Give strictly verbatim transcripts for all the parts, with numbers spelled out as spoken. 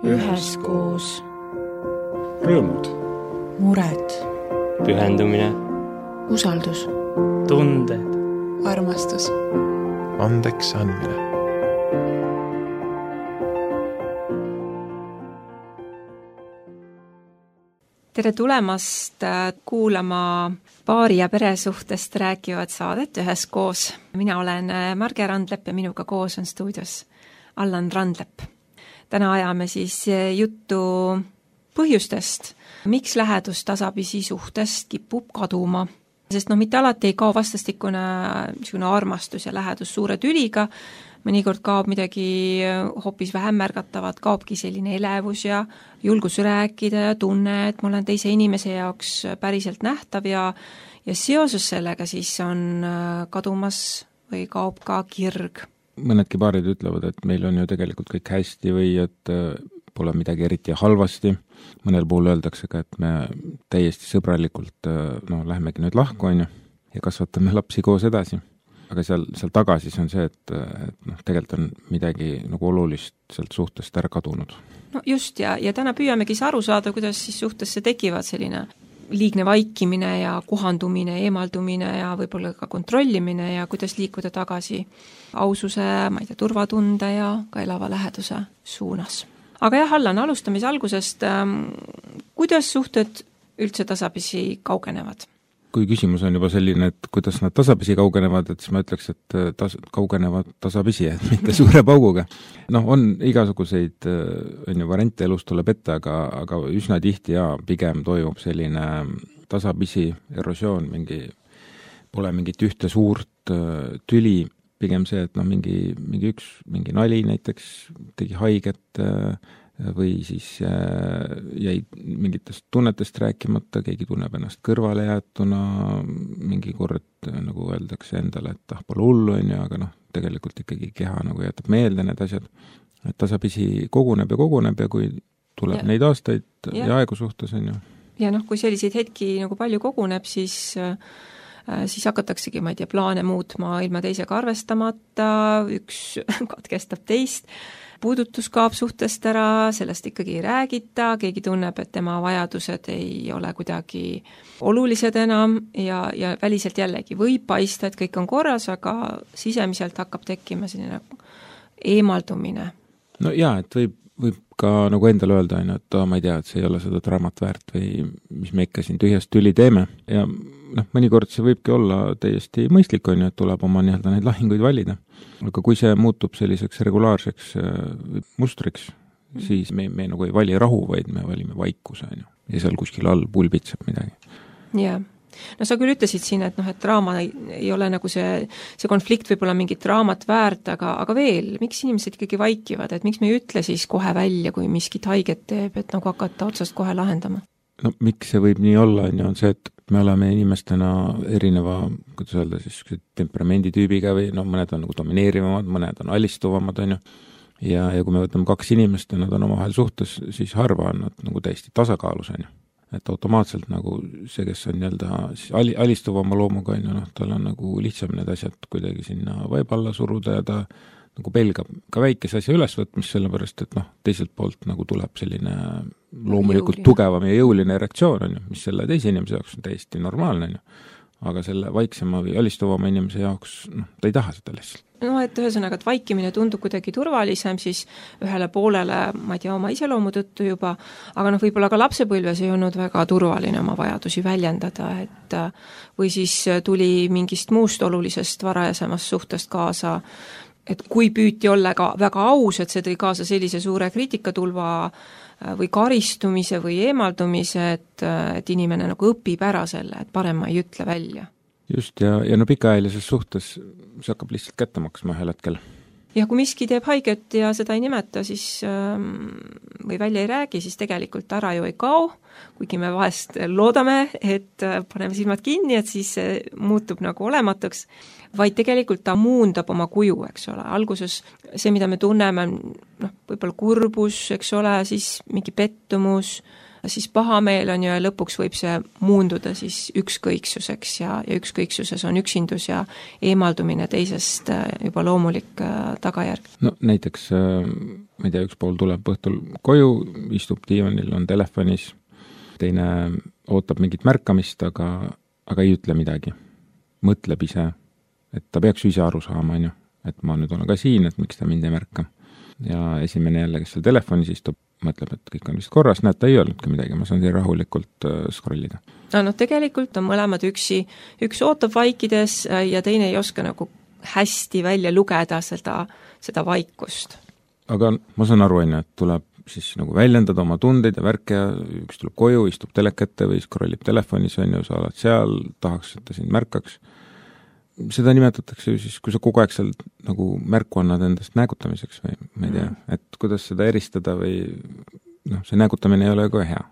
üheskoos. Rõõmud. Mured. Pühendumine. Usaldus. Tunded. Armastus. Andeks andmine. Tere tulemast kuulama paari ja peresuhtest rääkivad saadet üheskoos. Mina olen Marge Randlepp ja minuga koos on stuudios Allan Randlepp. Täna ajame siis juttu põhjustest, miks lähedus tasapisi suhtest kipub kaduma. Sest no mitte alati ei kao vastastikune armastus ja lähedus suure tüliga, mõnikord kaob midagi hoopis vähem märgatavat, kaobki selline elevus ja julgus rääkida ja tunne, et ma olen teise inimese jaoks päriselt nähtav ja, ja seoses sellega siis on kadumas või kaob ka kirg. Mõnedki paarid ütlevad, et meil on ju tegelikult kõik hästi või et pole midagi eriti halvasti. Mõnel puhul öeldakse ka, et me täiesti sõbralikult no, lähemegi nüüd lahku on ju, ja kasvatame lapsi koos edasi. Aga seal, seal tagasi on see, et, et noh, tegelikult on midagi nagu olulist sealt suhtest ära kadunud. No just, ja, ja täna püüamegi aru saada, kuidas siis suhtesse tekivad selline liigne vaikimine ja kohandumine, eemaldumine ja võib-olla ka kontrollimine ja kuidas liikuda tagasi aususe, ma ei tea, turvatunde ja ka elava läheduse suunas. Aga jah, Allan, alustamise algusest, kuidas suhted üldse tasapisi kaugenevad? Kui küsimus on juba selline, et kuidas nad tasapisi kaugenevad, et siis ma ütleks, et tas, kaugenevad tasapisi, et mitte suure pauguga. Noh, on igasuguseid on ju, variante elus tuleb ette, aga, aga üsna tihti ja pigem toimub selline tasapisi erosioon, mingi, pole mingit ühte suurt tüli, pigem see, et noh, mingi, mingi üks, mingi nali näiteks tegi haiget või siis jäi mingitest tunnetest rääkimata, keegi tunneb ennast kõrvale jäetuna, mingi kord nagu öeldakse endale, et ah, pole hullu on ju, aga noh, tegelikult ikkagi keha nagu jätab meelde need asjad, et tasapisi koguneb ja koguneb ja kui tuleb ja. Neid aastaid ja, ja aegu suhtes on ju. Ja noh, kui selliseid hetki nagu palju koguneb, siis siis hakataksegi, ma ei tea, plaane muutma ilma teisega arvestamata, üks katkestab teist, puudutus kaob suhtest ära, sellest ikkagi ei räägita, keegi tunneb, et tema vajadused ei ole kuidagi olulised enam ja, ja väliselt jällegi võib paista, et kõik on korras, aga sisemiselt hakkab tekkima selline eemaldumine. No jaa, et võib, võib ka nagu endale öelda, et oh, ma ei tea, et see ei ole seda draamat väärt või mis me ikka siin tühjast tüli teeme ja noh, mõnikord see võibki olla täiesti mõistlik on ju, et tuleb oma nii-öelda neid lahinguid valida. Aga kui see muutub selliseks regulaarseks mustriks, mm. siis me, me nagu ei vali rahu, vaid me valime vaikuse on ju. Ja seal kuskil all pulbitseb midagi. Jaa. No sa küll ütlesid siin, et, noh, et draama ei, ei ole nagu see, see konflikt võib olla mingit draamat väärt, aga, aga veel, miks inimesed ikkagi vaikivad, et miks me ei ütle siis kohe välja, kui miskit haiget teeb, et nagu hakata otsast kohe lahendama? No miks see võib nii olla, on, on see, et me oleme inimestena erineva, kuidas öelda, siis temperamenditüübiga või no mõned on nagu domineerivamad, mõned on alistuvamad, on ju. Ja, ja kui me võtame kaks inimest ja nad on omavahel suhtes, siis harva on nad nagu täiesti tasakaalus, on ju. Et automaatselt nagu see, kes on nii-öelda ali, alistuvama loomuga, on ju, noh, tal on nagu lihtsam need asjad kuidagi sinna vaiba alla suruda ja ta nagu pelgab ka väikese asja ülesvõtmist, sellepärast, et noh, teiselt poolt nagu tuleb selline loomulikult jõuline. Tugevam ja jõuline reaktsioon, on ju, mis selle teise inimese jaoks on täiesti normaalne, on ju. Aga selle vaiksema või alistuvama inimese jaoks, noh, ta ei taha seda lihtsalt. No, et ühesõnaga, et vaikimine tundub kuidagi turvalisem, siis ühele poolele, ma ei tea, oma iseloomu tõttu juba, aga noh, võib-olla ka lapsepõlves ei olnud väga turvaline oma vajadusi väljendada, et või siis tuli mingist muust olulisest varajasemast suhtest kaasa, et kui püüti olla ka väga aus, et see tõi kaasa sellise suure kriitikatulva või karistumise või eemaldumise, et, et inimene nagu õpib ära selle, et parem ma ei ütle välja. Just, ja, ja no pikaajalises suhtes see hakkab lihtsalt kätte maksma ühel hetkel. Ja kui miski teeb haiget ja seda ei nimeta, siis või välja ei räägi, siis tegelikult ära ju ei kao, kuigi me vahest loodame, et paneme silmad kinni, et siis muutub nagu olematuks, vaid tegelikult ta muundab oma kuju, eks ole. Alguses see, mida me tunneme, noh, võib-olla kurbus, eks ole, siis mingi pettumus, siis pahameel on ju ja lõpuks võib see muunduda siis ükskõiksuseks ja, ja ükskõiksuses on üksindus ja eemaldumine teisest juba loomulik tagajärg. No näiteks, ma ei tea, üks pool tuleb õhtul koju, istub diivanil, on telefonis, teine ootab mingit märkamist, aga, aga ei ütle midagi. Mõtleb ise, et ta peaks ise aru saama, on ju, et ma nüüd olen ka siin, et miks ta mind ei märka. Ja esimene jälle, kes seal telefonis istub, mõtleb, et kõik on vist korras, näed, ta ei öelnudki midagi, ma saan siin rahulikult scrollida. No, no tegelikult on mõlemad üksi, üks ootab vaikides ja teine ei oska nagu hästi välja lugeda seda, seda vaikust. Aga ma saan aru, on ju, et tuleb siis nagu väljendada oma tundeid ja värke ja üks tuleb koju, istub telekette või scrollib telefonis, on ju, sa oled seal, tahaks, et ta sind märkaks. Seda nimetatakse ju siis, kui sa kogu aeg seal nagu märku annad endast näägutamiseks või ma ei tea, et kuidas seda eristada või noh, see näägutamine ei ole ka hea.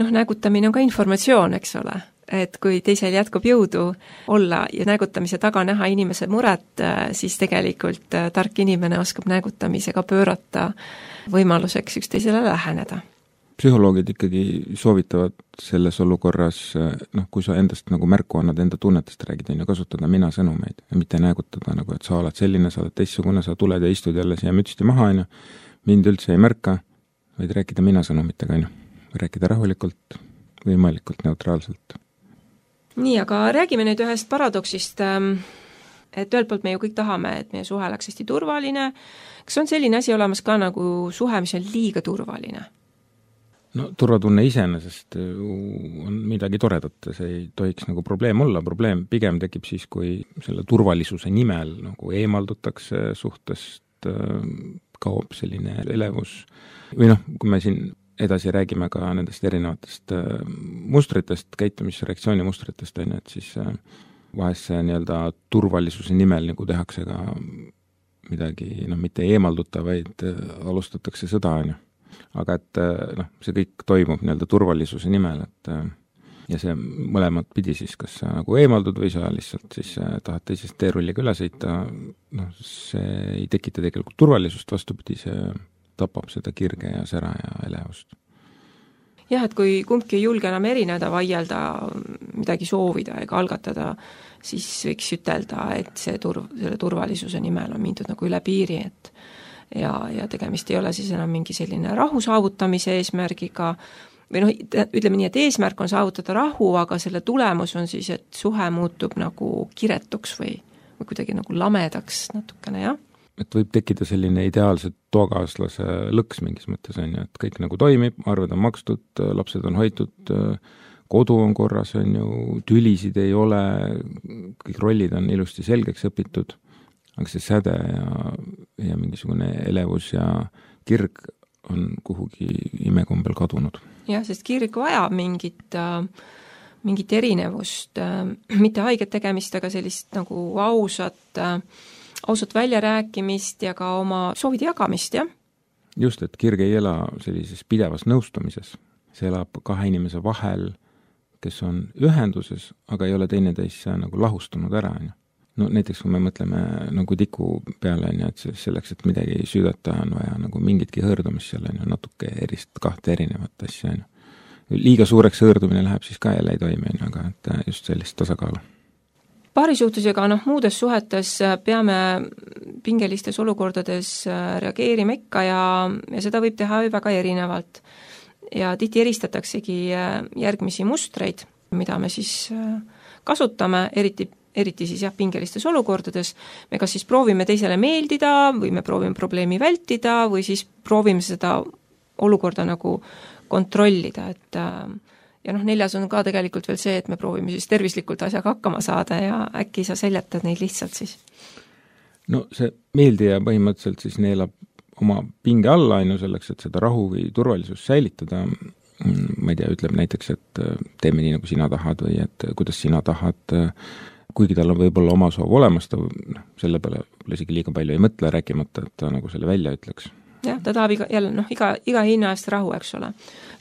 Noh, näägutamine on ka informatsioon, eks ole, et kui teisel jätkub jõudu olla ja näägutamise taga näha inimese muret, siis tegelikult tark inimene oskab näägutamisega pöörata võimaluseks üksteisele läheneda. Psühholoogid ikkagi soovitavad selles olukorras, noh, kui sa endast nagu märku annad, enda tunnetest räägid, on ju kasutada mina sõnumeid ja mitte näägutada nagu, et sa oled selline, sa oled teistsugune, sa tuled ja istud jälle siia mütsti maha, on ju, mind üldse ei märka, vaid rääkida mina sõnumitega, on ju, või rääkida rahulikult, võimalikult neutraalselt. Nii, aga räägime nüüd ühest paradoksist, et ühelt poolt me ju kõik tahame, et meie suhe oleks hästi turvaline. Kas on selline asi olemas ka nagu suhe, mis on liiga turvaline? No turvatunne iseenesest on midagi toredat, see ei tohiks nagu probleem olla, probleem pigem tekib siis, kui selle turvalisuse nimel nagu eemaldutakse suhtest, kaob selline elevus või noh, kui me siin edasi räägime ka nendest erinevatest mustritest, käitumisreaktsiooni mustritest, on, et siis vahest see nii-öelda turvalisuse nimel nagu tehakse ka midagi, noh, mitte eemalduta, vaid alustatakse sõda, on ju. Aga et noh, see kõik toimub nii-öelda turvalisuse nimel, et ja see mõlemad pidi siis, kas sa nagu eemaldud või sa lihtsalt siis tahad teisest teerulliga üle sõita, noh, see ei tekita tegelikult turvalisust, vastupidi, see tapab seda kirge ja sära ja elevust. Jah, et kui kumbki ei julge enam erineda, vaielda, midagi soovida ega algatada, siis võiks ütelda, et see turv, selle turvalisuse nimel on mindud nagu üle piiri, et ja, ja tegemist ei ole siis enam mingi selline rahu saavutamise eesmärgiga, või noh, ütleme nii, et eesmärk on saavutada rahu, aga selle tulemus on siis, et suhe muutub nagu kiretuks või, või kuidagi nagu lamedaks natukene, jah. Et võib tekkida selline ideaalse toakaaslase lõks mingis mõttes, on ju, et kõik nagu toimib, arved on makstud, lapsed on hoitud, kodu on korras, on ju, tülisid ei ole, kõik rollid on ilusti selgeks õpitud, aga see säde ja, ja mingisugune elevus ja kirg on kuhugi imekombel kadunud. Jah, sest kirg vajab mingit, mingit erinevust, mitte haiget tegemist, aga sellist nagu ausat, ausat väljarääkimist ja ka oma soovide jagamist, jah? Just, et kirg ei ela sellises pidevas nõustumises. See elab kahe inimese vahel, kes on ühenduses, aga ei ole teineteisse nagu lahustunud ära, on ju. No näiteks, kui me mõtleme nagu tiku peale, on ju, et selleks, et midagi ei süüdata, on vaja nagu mingitki hõõrdumist seal, on ju, natuke erist, kahte erinevat asja, on ju. Liiga suureks hõõrdumine läheb, siis ka jälle ei toimi, on ju, aga et just sellist tasakaalu. Paarisuhtusega, noh, muudes suhetes peame pingelistes olukordades reageerima ikka ja, ja seda võib teha väga erinevalt. Ja tihti eristataksegi järgmisi mustreid, mida me siis kasutame, eriti eriti siis jah, pingelistes olukordades, me kas siis proovime teisele meeldida või me proovime probleemi vältida või siis proovime seda olukorda nagu kontrollida, et ja noh, neljas on ka tegelikult veel see, et me proovime siis tervislikult asjaga hakkama saada ja äkki sa seljatad neid lihtsalt siis. No see meeldija põhimõtteliselt siis neelab oma pinge alla ainu selleks, et seda rahu või turvalisust säilitada, ma ei tea, ütleb näiteks, et teeme nii, nagu sina tahad või et kuidas sina tahad, kuigi tal on võib-olla oma soov olemas, ta selle peale isegi liiga palju ei mõtle, rääkimata, et ta nagu selle välja ütleks. Jah, ta tahab iga, jälle, noh, iga, iga hinna eest rahu, eks ole.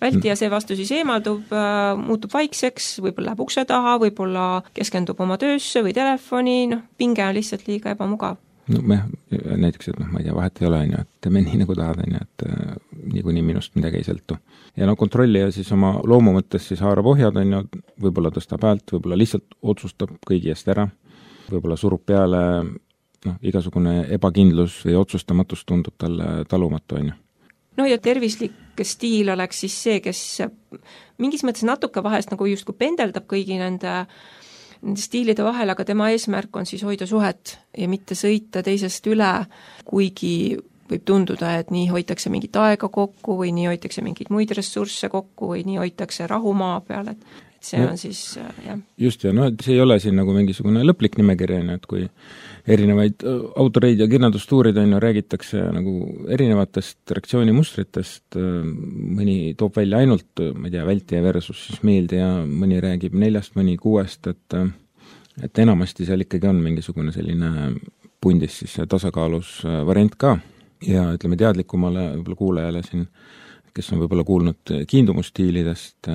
Vältija see vastu siis eemaldub, muutub vaikseks, võib-olla läheb ukse taha, võib-olla keskendub oma töösse või telefoni, noh, pinge on lihtsalt liiga ebamugav. No me näiteks, et noh, ma ei tea, vahet ei ole, on ju, et teeme nii, nagu tahad, on ju, et niikuinii minust midagi ei sõltu. Ja no kontrollija siis oma loomu mõttes siis haarab ohjad, on ju, võib-olla tõstab häält, võib-olla lihtsalt otsustab kõigi eest ära, võib-olla surub peale, noh, igasugune ebakindlus või otsustamatus tundub talle talumatu, on ju. No ja tervislik stiil oleks siis see, kes mingis mõttes natuke vahest nagu just kui pendeldab kõigi nende, nende stiilide vahel, aga tema eesmärk on siis hoida suhet ja mitte sõita teisest üle, kuigi võib tunduda, et nii hoitakse mingit aega kokku või nii hoitakse mingeid muid ressursse kokku või nii hoitakse rahu maa peal, et see no, on siis, jah. Just, ja no see ei ole siin nagu mingisugune lõplik nimekiri, et kui erinevaid autoreid ja kirjandustuurid on ju, räägitakse nagu erinevatest reaktsioonimustritest, mõni toob välja ainult, ma ei tea, vältija versus siis meeldija, mõni räägib neljast, mõni kuuest, et et enamasti seal ikkagi on mingisugune selline pundis siis tasakaalus variant ka ja ütleme teadlikumale võib-olla kuulajale siin, kes on võib-olla kuulnud kiindumusstiilidest,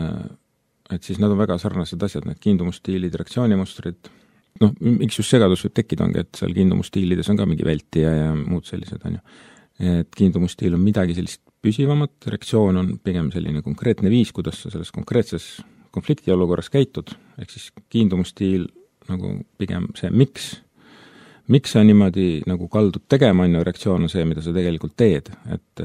et siis nad on väga sarnased asjad, need kiindumusstiilid, reaktsioonimustrid, noh, miks just segadus võib tekkida ongi, et seal kiindumusstiilides on ka mingi vältija ja muud sellised, on ju. Et kiindumusstiil on midagi sellist püsivamat, reaktsioon on pigem selline konkreetne viis, kuidas sa selles konkreetses konflikti olukorras käitud, ehk siis kiindumusstiil nagu pigem see, miks miks sa niimoodi nagu kaldud tegema, on ju, reaktsioon on see, mida sa tegelikult teed, et,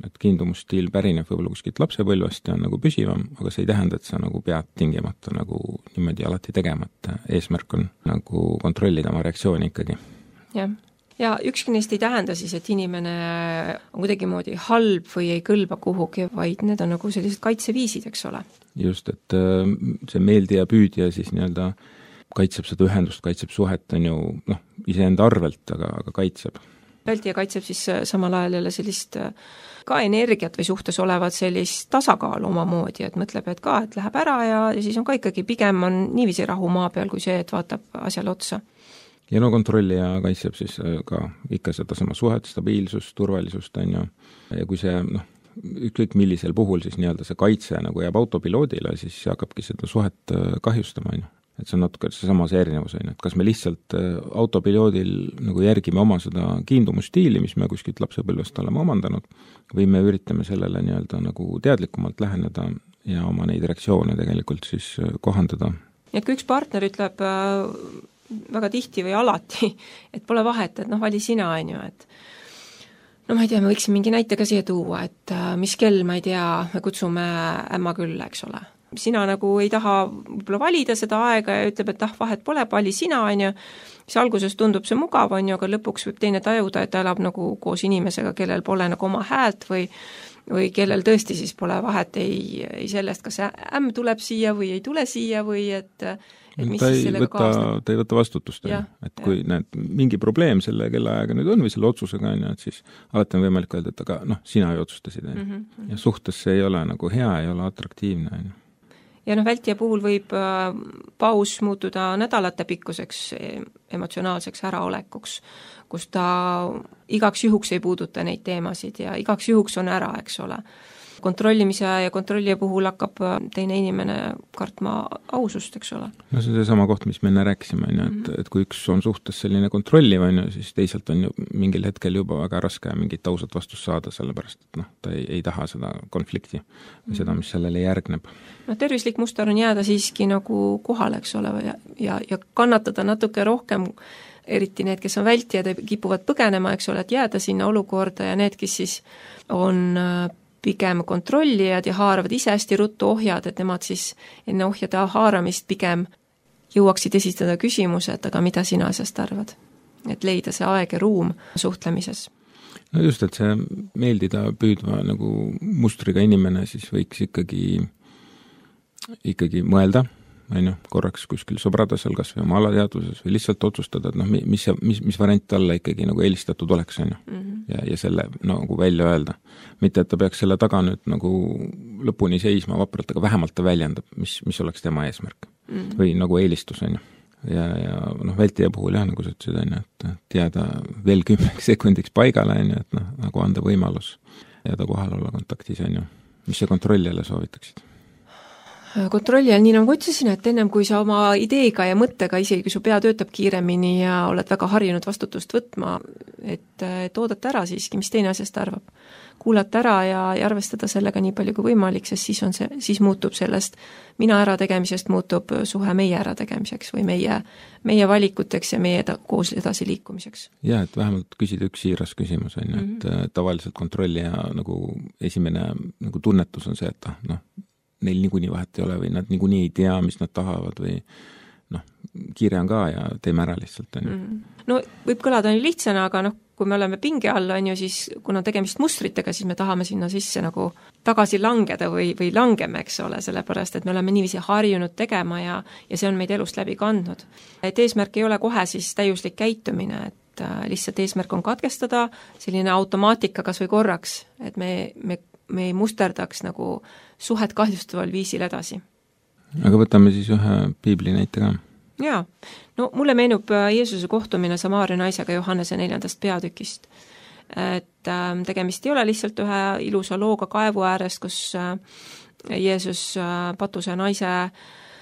et kiindumusstiil pärineb võib-olla kuskilt lapsepõlvest ja on nagu püsivam, aga see ei tähenda, et sa nagu pead tingimata nagu niimoodi alati tegema, et eesmärk on nagu kontrollida oma reaktsiooni ikkagi. Jah, ja ükski neist ei tähenda siis, et inimene on kuidagi moodi halb või ei kõlba kuhugi, vaid need on nagu sellised kaitseviisid, eks ole. Just, et see meeldija püüdja siis nii-öelda kaitseb seda ühendust, kaitseb suhet, on ju, noh, iseenda arvelt, aga, aga kaitseb. Vältija kaitseb siis samal ajal jälle sellist ka energiat või suhtes olevat sellist tasakaalu omamoodi, et mõtleb, et ka, et läheb ära ja, ja siis on ka ikkagi pigem on niiviisi rahu maa peal, kui see, et vaatab asjale otsa. Ja no kontrollija kaitseb siis ka ikka seda sama suhet, stabiilsust, turvalisust, on ju, ja kui see, noh, ükskõik millisel puhul siis nii-öelda see kaitse nagu jääb autopiloodile, siis hakkabki seda suhet kahjustama, on ju. Et see on natuke see sama see erinevus, on, et kas me lihtsalt autopiloodil nagu järgime oma seda kiindumusstiili, mis me kuskilt lapsepõlvest oleme omandanud, või me üritame sellele nii-öelda nagu teadlikumalt läheneda ja oma neid reaktsioone tegelikult siis kohandada. Et kui üks partner ütleb väga tihti või alati, et pole vahet, et noh, vali sina, on ju, et no ma ei tea, me võiksime mingi näite ka siia tuua, et mis kell, ma ei tea, me kutsume ämma külla, eks ole. Sina nagu ei taha võib-olla valida seda aega ja ütleb, et ah, vahet pole, vali sina, on ju, siis alguses tundub see mugav, on ju, aga lõpuks võib teine tajuda, et ta elab nagu koos inimesega, kellel pole nagu oma häält või või kellel tõesti siis pole vahet ei, ei sellest, kas ämm tuleb siia või ei tule siia või et et mis ta siis ei sellega võta, kaasneb. ta ei võta vastutust, Ja, et kui ja. Näed, mingi probleem selle kellaajaga nüüd on või selle otsusega on, et siis alati on võimalik öelda, et aga noh, sina ju otsustasid, mm -hmm. ja suhtes see ei ole nagu hea, ei ole atraktiivne, on ju. Ja noh, vältija puhul võib äh, paus muutuda nädalate pikkuseks emotsionaalseks äraolekuks, kus ta igaks juhuks ei puuduta neid teemasid ja igaks juhuks on ära, eks ole. Kontrollimise ja kontrollija puhul hakkab teine inimene kartma ausust, eks ole. No see on see sama koht, mis me enne rääkisime, on ju, et, et kui üks on suhtes selline kontrolliv, on ju, siis teisalt on ju mingil hetkel juba väga raske mingit ausat vastust saada, sellepärast et noh, ta ei, ei taha seda konflikti või seda, mis sellele järgneb. No tervislik muster on jääda siiski nagu kohale, eks ole, ja, ja, ja kannatada natuke rohkem, eriti need, kes on vältijad, kipuvad põgenema, eks ole, et jääda sinna olukorda ja need, kes siis on pigem kontrollijad ja haaravad ise hästi ruttu ohjad, et nemad siis enne ohjade haaramist pigem jõuaksid esitada küsimused, aga mida sina asjast arvad? Et leida see aeg ja ruum suhtlemises. No just, et see meeldida püüdva nagu mustriga inimene siis võiks ikkagi, ikkagi mõelda, on ju, korraks kuskil sõbradasel, kas või oma alateadvuses või lihtsalt otsustada, et noh, mis, mis, mis variant talle ikkagi nagu eelistatud oleks, on ju, mm -hmm. ja, ja selle nagu välja öelda. Mitte, et ta peaks selle taga nüüd nagu lõpuni seisma vapralt, aga vähemalt ta väljendab, mis, mis oleks tema eesmärk mm -hmm. või nagu eelistus, on ju. Ja, ja noh, vältija puhul jah, nagu sa ütlesid, on ju, et jääda veel kümneks sekundiks paigale, on ju, et noh, nagu anda võimalus jääda kohal olla kontaktis, on ju. Mis see kontrollijale soovitaksid? kontrolli all, nii nagu ütlesin, et ennem kui sa oma ideega ja mõttega, isegi kui su pea töötab kiiremini ja oled väga harjunud vastutust võtma, et, et oodata ära siiski, mis teine asjast arvab. Kuulata ära ja, ja arvestada sellega nii palju kui võimalik, sest siis, on see, siis muutub sellest mina ärategemisest muutub suhe meie ärategemiseks või meie, meie valikuteks ja meie eda, koos edasi liikumiseks. Jah, et vähemalt küsida üks siiras küsimus, on ju, et mm-hmm. tavaliselt kontrolli ja nagu esimene nagu tunnetus on see, et noh, neil niikuinii vahet ei ole või nad niikuinii ei tea, mis nad tahavad või noh, kiire on ka ja teeme ära lihtsalt, on ju. Mm. No võib kõlada nii lihtsana, aga noh, kui me oleme pinge all, on ju, siis kuna tegemist mustritega, siis me tahame sinna sisse nagu tagasi langeda või, või langeme, eks ole, sellepärast, et me oleme niiviisi harjunud tegema ja, ja see on meid elust läbi kandnud. Et eesmärk ei ole kohe siis täiuslik käitumine, et lihtsalt eesmärk on katkestada selline automaatika kas või korraks, et me, me me ei musterdaks nagu suhet kahjustaval viisil edasi. Aga võtame siis ühe piibli näite ka. Jaa, no mulle meenub Jeesuse kohtumine Samaaria naisega Johannese neljandast peatükist. Et äh, tegemist ei ole lihtsalt ühe ilusa looga kaevu äärest, kus äh, Jeesus äh, patuse naise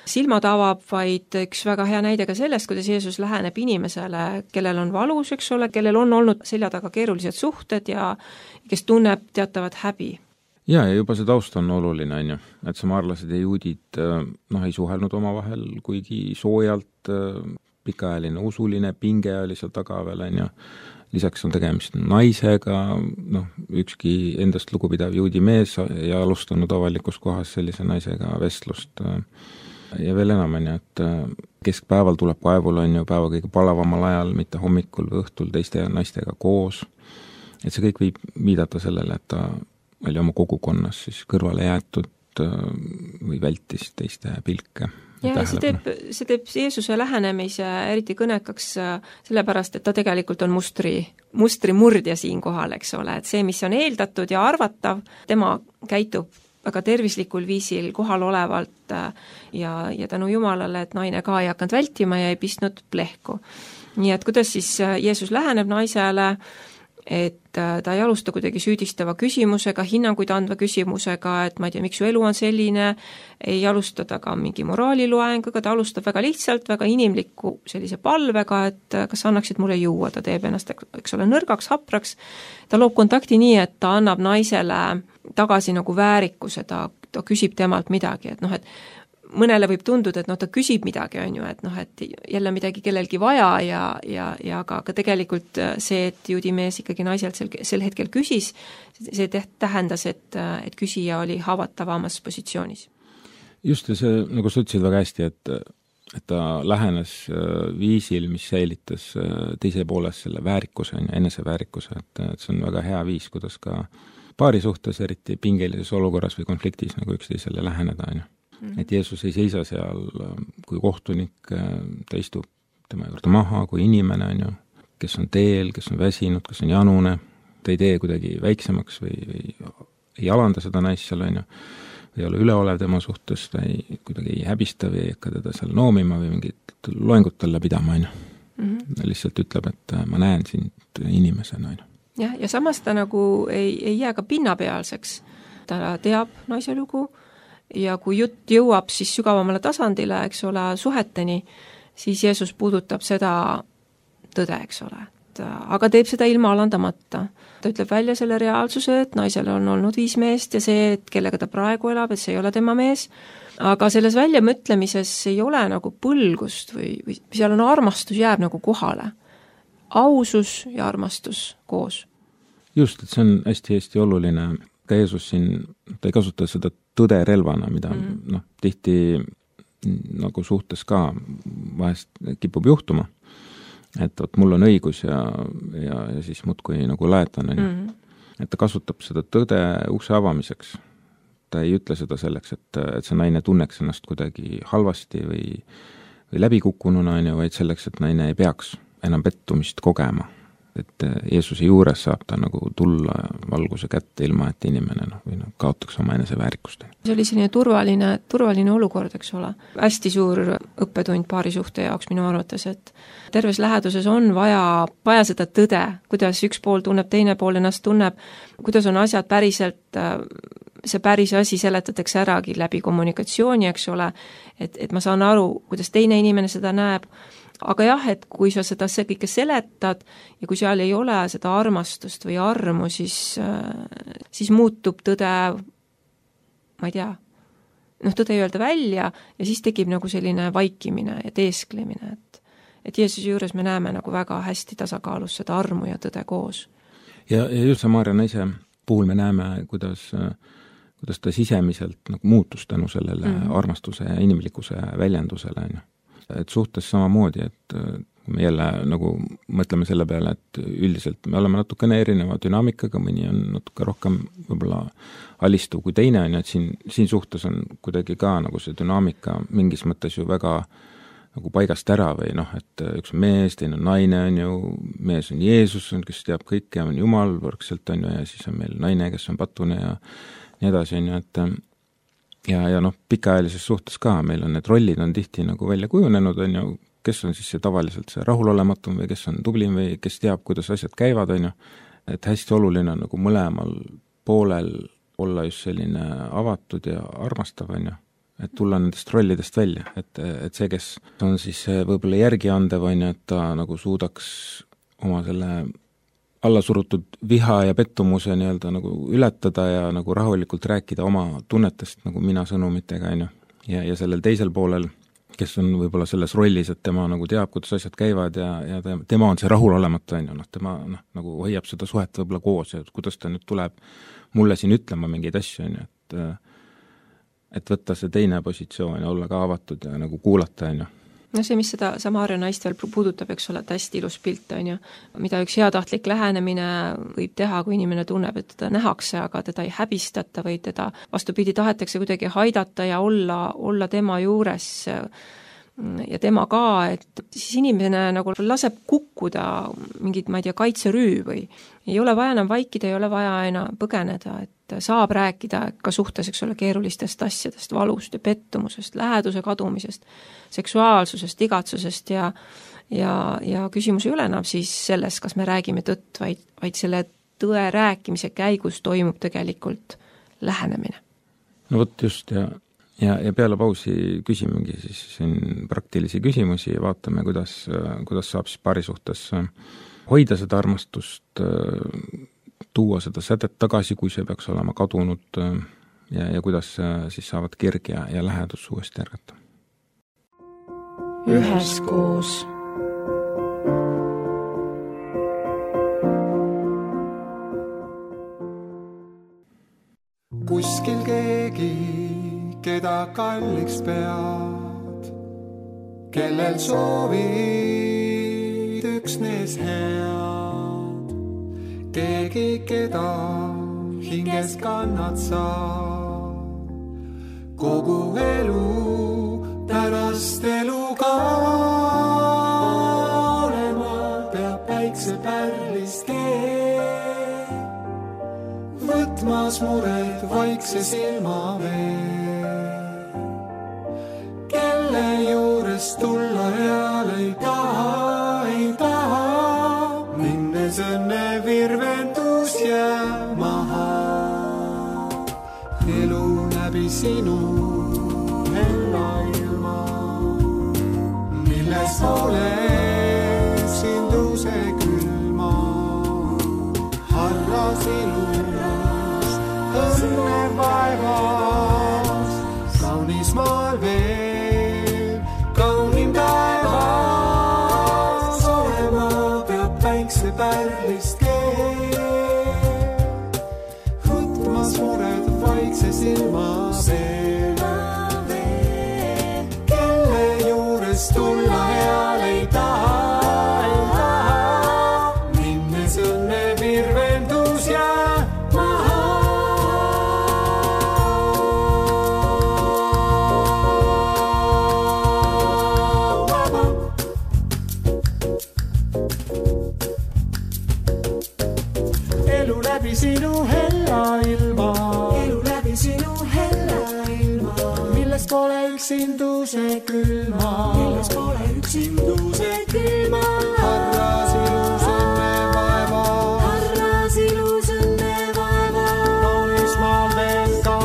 silmad avab, vaid üks väga hea näide ka sellest, kuidas Jeesus läheneb inimesele, kellel on valus, eks ole, kellel on olnud selja taga keerulised suhted ja kes tunneb teatavat häbi. Jaa, ja juba see taust on oluline, on ju, et samaarlased ja juudid noh, ei suhelnud omavahel kuigi soojalt, pikaajaline usuline pinge oli seal taga veel, on ju, lisaks on tegemist naisega, noh, ükski endast lugupidav juudi mees ei alustanud avalikus kohas sellise naisega vestlust ja veel enam, on ju, et keskpäeval tuleb kaevul, on ju, päeva kõige palavamal ajal, mitte hommikul või õhtul teiste naistega koos, et see kõik võib viidata sellele, et ta oli oma kogukonnas siis kõrvale jäetud või vältis teiste pilke. Ja see teeb, see teeb Jeesuse lähenemise eriti kõnekaks sellepärast, et ta tegelikult on mustri, mustri murdja siin kohal, eks ole, et see, mis on eeldatud ja arvatav, tema käitub väga tervislikul viisil kohal olevalt ja, ja tänu Jumalale, et naine ka ei hakanud vältima ja ei pistnud plehku. Nii et kuidas siis Jeesus läheneb naisele, et ta ei alusta kuidagi süüdistava küsimusega, hinnanguid andva küsimusega, et ma ei tea, miks su elu on selline, ei alusta ta ka mingi moraaliloenguga, ta alustab väga lihtsalt, väga inimliku sellise palvega, et kas annaksid mulle juua, ta teeb ennast, eks ole, nõrgaks, hapraks, ta loob kontakti nii, et ta annab naisele tagasi nagu väärikuse, ta, ta küsib temalt midagi, et noh, et mõnele võib tunduda, et noh, ta küsib midagi, on ju, et noh, et jälle midagi kellelgi vaja ja, ja, ja aga, aga tegelikult see, et juudi mees ikkagi naiselt sel, sel hetkel küsis, see tähendas, et, et küsija oli haavatavamas positsioonis. Just, ja see, nagu sa ütlesid väga hästi, et, et ta lähenes viisil, mis säilitas teise pooles selle väärikuse, eneseväärikuse, et, et see on väga hea viis, kuidas ka paari suhtes, eriti pingelises olukorras või konfliktis nagu üksteisele läheneda, on ju. Et Jeesus ei seisa seal kui kohtunik, ta istub tema juurde maha kui inimene, on ju, kes on teel, kes on väsinud, kes on janune, ta ei tee kuidagi väiksemaks või, või ei alanda seda naist seal, on ju, ei ole üleolev tema suhtes, ta ei, kuidagi ei häbista või ei hakka teda seal noomima või mingit loengut talle pidama, on ju. Mm-hmm. Lihtsalt ütleb, et ma näen sind inimesena, on ju. Jah, ja samas ta nagu ei, ei jää ka pinnapealseks, ta teab naise lugu, ja kui jutt jõuab siis sügavamale tasandile, eks ole, suheteni, siis Jeesus puudutab seda tõde, eks ole. Aga teeb seda ilma alandamata. Ta ütleb välja selle reaalsuse, et naisel on olnud viis meest ja see, et kellega ta praegu elab, et see ei ole tema mees. Aga selles väljamõtlemises ei ole nagu põlgust või, või seal on armastus jääb nagu kohale. Ausus ja armastus koos. Just, et see on hästi-hästi oluline. Ka Jeesus siin, ta ei kasuta seda tõde relvana, mida mm. noh, tihti nagu suhtes ka vahest kipub juhtuma, et vot mul on õigus ja, ja, ja siis muudkui nagu laetan, mm. et ta kasutab seda tõde ukse avamiseks. Ta ei ütle seda selleks, et, et see naine tunneks ennast kuidagi halvasti või, või läbikukkununa, vaid selleks, et naine ei peaks enam pettumist kogema. Et Jeesuse juures saab ta nagu tulla valguse kätte ilma, et inimene noh, või noh, kaotaks oma enese väärikust. See oli selline turvaline, turvaline olukord, eks ole. Hästi suur õppetund paari suhte jaoks minu arvates, et terves läheduses on vaja, vaja seda tõde, kuidas üks pool tunneb, teine pool ennast tunneb, kuidas on asjad päriselt see päris asi seletatakse äragi läbi kommunikatsiooni, eks ole, et, et ma saan aru, kuidas teine inimene seda näeb, aga jah, et kui sa seda see kõike seletad ja kui seal ei ole seda armastust või armu, siis, siis muutub tõde, ma ei tea, noh, tõde ei öelda välja ja siis tekib nagu selline vaikimine ja teesklemine, et, et Jeesuse juures me näeme nagu väga hästi tasakaalus seda armu ja tõde koos. Ja, ja just Samaria naise puhul me näeme, kuidas, kuidas ta sisemiselt nagu muutus tänu sellele mm. armastuse ja inimlikkuse väljendusele, on ju. Et suhtes samamoodi, et me jälle nagu mõtleme selle peale, et üldiselt me oleme natukene erineva dünaamikaga, mõni on natuke rohkem võib-olla alistuv kui teine, on ju, et siin, siin suhtes on kuidagi ka nagu see dünaamika mingis mõttes ju väga nagu paigast ära või noh, et üks on mees, teine on naine, on ju, mees on Jeesus, kes teab kõike, on Jumal võrgselt, on ju, ja siis on meil naine, kes on patune ja nii edasi, on ju, et ja, ja noh, pikaajalises suhtes ka, meil on need rollid on tihti nagu välja kujunenud, on ju, kes on siis see tavaliselt see rahulolematum või kes on tublim või kes teab, kuidas asjad käivad, on ju, et hästi oluline on nagu mõlemal poolel olla just selline avatud ja armastav, on ju, et tulla nendest rollidest välja, et, et see, kes on siis võib-olla järgi andev, on ju, et ta nagu suudaks oma selle allasurutud viha ja pettumuse nii-öelda nagu ületada ja nagu rahulikult rääkida oma tunnetest nagu mina sõnumitega, on ju. Ja, ja sellel teisel poolel, kes on võib-olla selles rollis, et tema nagu teab, kuidas asjad käivad ja, ja tema on see rahulolematu, on ju, noh, tema noh, nagu hoiab seda suhet võib-olla koos ja kuidas ta nüüd tuleb mulle siin ütlema mingeid asju, on ju, et et võtta see teine positsioon ja olla ka avatud ja nagu kuulata, on ju. No see, mis seda Samaria naist veel puudutab, eks ole, et hästi ilus pilt, on ju, mida üks heatahtlik lähenemine võib teha, kui inimene tunneb, et teda nähakse, aga teda ei häbistata või teda vastupidi tahetakse kuidagi haidata ja olla, olla tema juures ja tema ka, et siis inimene nagu laseb kukkuda mingid, ma ei tea, kaitserüü või ei ole vaja enam vaikida, ei ole vaja enam põgeneda, et saab rääkida ka suhtes, eks ole, keerulistest asjadest, valust ja pettumusest, läheduse kadumisest, seksuaalsusest, igatsusest ja, ja, ja küsimus ei ole enam siis selles, kas me räägime tõtt, vaid, vaid selle tõe rääkimise käigus toimub tegelikult lähenemine. No võt just ja Ja, ja peale pausi küsimegi siis siin praktilisi küsimusi ja vaatame, kuidas, kuidas saab siis paari suhtes hoida seda armastust, tuua seda sädet tagasi, kui see peaks olema kadunud ja, ja kuidas siis saavad kirg ja, ja lähedus uuesti järgata. Üheskoos. Kuskil keegi keda kalliks pead, kellel soovid üksnes head, keegi, keda hinges kannad sa, kogu elu pärast elu ka olema peab päikse pärlist keel, võtmas mured vaikse silma veel. Juures tulla heal ei taha, ei taha, minnes õnne virvendus jää maha. Elu läbi sinu hella ilma, milles ole sinduse külma. Harras ilus, õnne vaevas, kaunis maal veel. Pärlist keel, võtmas mured vaikse silma veel, kelle juures tulla heal ei taha, ei taha, minnes õnne virvendus jää maha. Elu läbi sinu hella ilma, elu läbi sinu hella ilma, milles pole üksinduse külma, milles pole üksinduse külma. Harras ilus õnne vaeva, harras ilus õnne vaeva, kaunis maal veel ka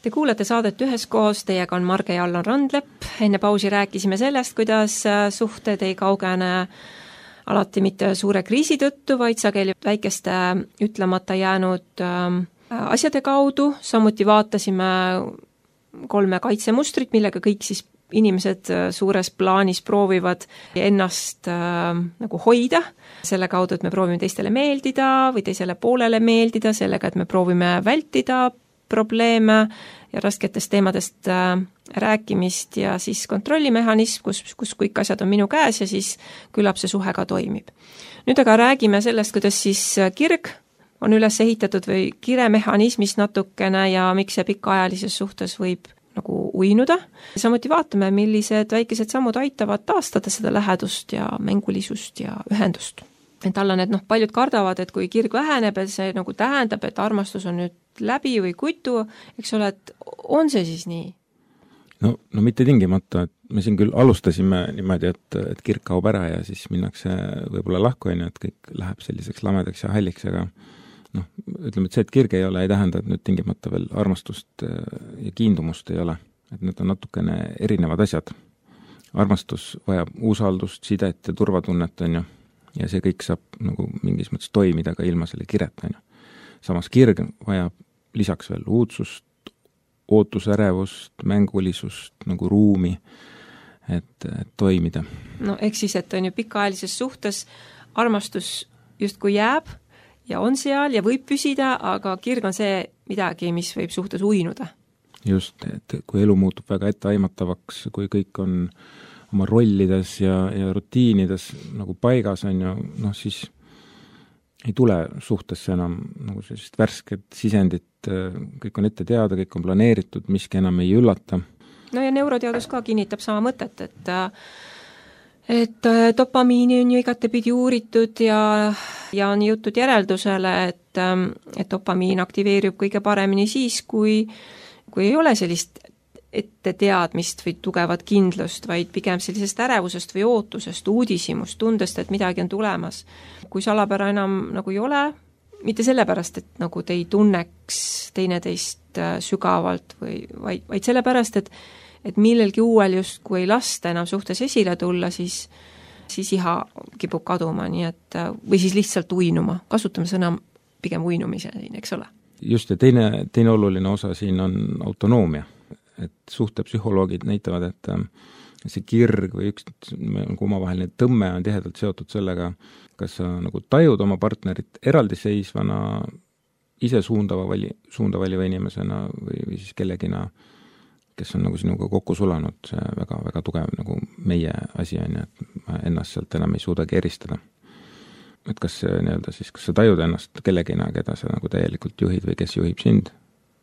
Te kuulate saadet Üheskoos, teiega on Marge ja Allan Randlepp. Enne pausi rääkisime sellest, kuidas suhted ei kaugene alati mitte suure kriisi tõttu, vaid sageli väikeste ütlemata jäänud asjade kaudu. Samuti vaatasime kolme kaitsemustrit, millega kõik siis inimesed suures plaanis proovivad ennast äh, nagu hoida. Selle kaudu, et me proovime teistele meeldida või teisele poolele meeldida, sellega, et me proovime vältida probleeme ja rasketest teemadest äh, rääkimist ja siis kontrollimehhanism, kus, kus kõik asjad on minu käes ja siis küllap see suhe ka toimib. Nüüd aga räägime sellest, kuidas siis kirg on üles ehitatud või kiremehhanismis natukene ja miks see pikaajalises suhtes võib nagu uinuda. Samuti vaatame, millised väikesed sammud aitavad taastada seda lähedust ja mängulisust ja ühendust. Et Allan, et noh, paljud kardavad, et kui kirg väheneb, et see nagu tähendab, et armastus on nüüd läbi või kutu, eks ole, et on see siis nii? No, no mitte tingimata, et me siin küll alustasime niimoodi, et, et kirg kaob ära ja siis minnakse võib-olla lahku, et kõik läheb selliseks lamedaks ja halliks, aga noh, ütleme, et see, et kirg ei ole, ei tähenda, et nüüd tingimata veel armastust ja kiindumust ei ole, et need on natukene erinevad asjad. Armastus vajab usaldust, sidet ja turvatunnet, on ju, ja see kõik saab nagu mingis mõttes toimida ka ilma selle kireta, on ju. Samas kirg vajab lisaks veel uudsust, ootusärevust, mängulisust, nagu ruumi, et, et toimida. No ehk siis, et on ju pikaajalises suhtes armastus justkui jääb ja on seal ja võib püsida, aga kirg on see midagi, mis võib suhtes uinuda. Just, et kui elu muutub väga etteaimatavaks, kui kõik on oma rollides ja, ja rutiinides nagu paigas, on ju, noh siis ei tule suhtesse enam nagu sellist värsket sisendit, kõik on ette teada, kõik on planeeritud, miski enam ei üllata. No ja neuroteadus ka kinnitab sama mõtet, et et dopamiini on ju igatepidi uuritud ja, ja on jõutud järeldusele, et, et dopamiin aktiveerib kõige paremini siis, kui, kui ei ole sellist ette teadmist või tugevat kindlust, vaid pigem sellisest ärevusest või ootusest, uudishimust, tundest, et midagi on tulemas. Kui salapära enam nagu ei ole, mitte sellepärast, et nagu te ei tunneks teineteist sügavalt, või, vaid, vaid sellepärast, et, et millelgi uuel just, kui ei lasta enam suhtes esile tulla, siis, siis iha kipub kaduma, nii et, või siis lihtsalt uinuma. Kasutame sõna pigem uinumise, eks ole. Just, ja teine, teine oluline osa siin on autonoomia. Et suhtepsühholoogid näitavad, et see kirg või üks nagu omavaheline tõmme on tihedalt seotud sellega, kas sa nagu tajud oma partnerit eraldiseisvana, ise suundava vali, suunda valiva inimesena või, või siis kellegina, kes on nagu sinuga kokku sulanud, see väga, väga tugev nagu meie asi on, et ma ennast sealt enam ei suudagi eristada. Et kas see nii-öelda siis, kas sa tajud ennast kellegina, keda sa nagu täielikult juhid või kes juhib sind?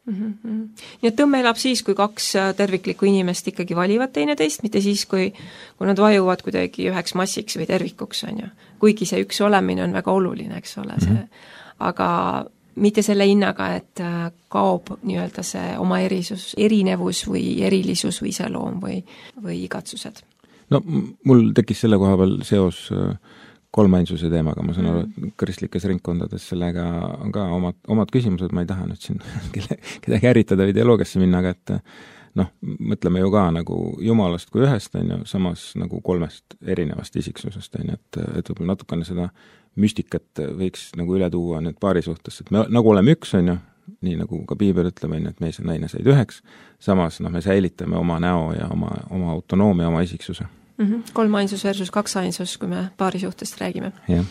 Mm-hmm. Nii et tõmme elab siis, kui kaks terviklikku inimest ikkagi valivad teineteist, mitte siis, kui, kui nad vajuvad kuidagi üheks massiks või tervikuks, on ju. Kuigi see üks olemine on väga oluline, eks ole, see, mm-hmm. aga mitte selle hinnaga, et kaob nii-öelda see oma erisus, erinevus või erilisus või iseloom või, või igatsused. No mul tekkis selle koha peal seos kolmainsuse teemaga, ma saan aru, et kristlikes ringkondades sellega on ka omad, omad küsimused, ma ei taha nüüd siin kelle, kedagi ärritada või dialoogiasse minna, aga et noh, mõtleme ju ka nagu jumalast kui ühest, on ju, samas nagu kolmest erinevast isiksusest, on ju, et, et võib-olla natukene seda müstikat võiks nagu üle tuua nüüd paari suhtes, et me nagu oleme üks, on ju, nii nagu ka piibel ütleb, on ju, et mees ja naine said üheks, samas noh, me säilitame oma näo ja oma, oma autonoomia, oma isiksuse. Mm-hmm. Kolmainsus versus kaksainsus, kui me paari suhtest räägime. Ja.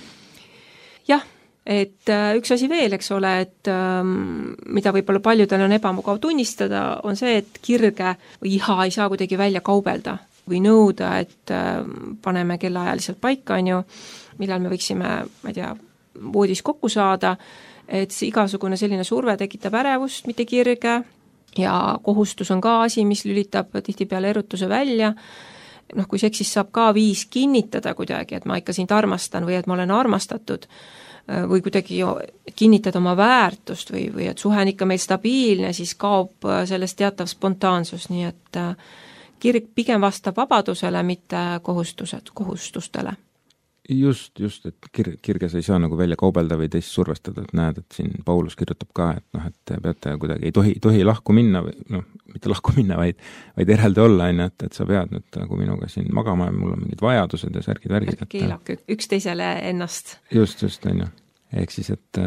Jah, et üks asi veel, eks ole, et ähm, mida võib-olla paljudel on ebamugav tunnistada, on see, et kirge või iha ei saa kuidagi välja kaubelda või nõuda, et ähm, paneme kellaajaliselt paika, on ju, millal me võiksime, ma ei tea, voodis kokku saada, et see igasugune selline surve tekitab ärevust, mitte kirge, ja kohustus on ka asi, mis lülitab tihtipeale erutuse välja. Noh, kui seksist saab ka viis kinnitada kuidagi, et ma ikka sind armastan või et ma olen armastatud või kuidagi kinnitada oma väärtust või, või et suhe on ikka meil stabiilne, siis kaob sellest teatav spontaansus, nii et kirg pigem vastab vabadusele, mitte kohustused, kohustustele. just, just, et kir-, kirges ei saa nagu välja kaubelda või teist survestada, et näed, et siin Paulus kirjutab ka, et noh, et peate kuidagi, ei tohi, tohi lahku minna või noh, mitte lahku minna, vaid, vaid eraldi olla, on ju, et, et sa pead nüüd nagu minuga siin magama ja mul on mingid vajadused ja särgid, värgid. Keelake üksteisele ennast. Just, just, on ju. Ehk siis, et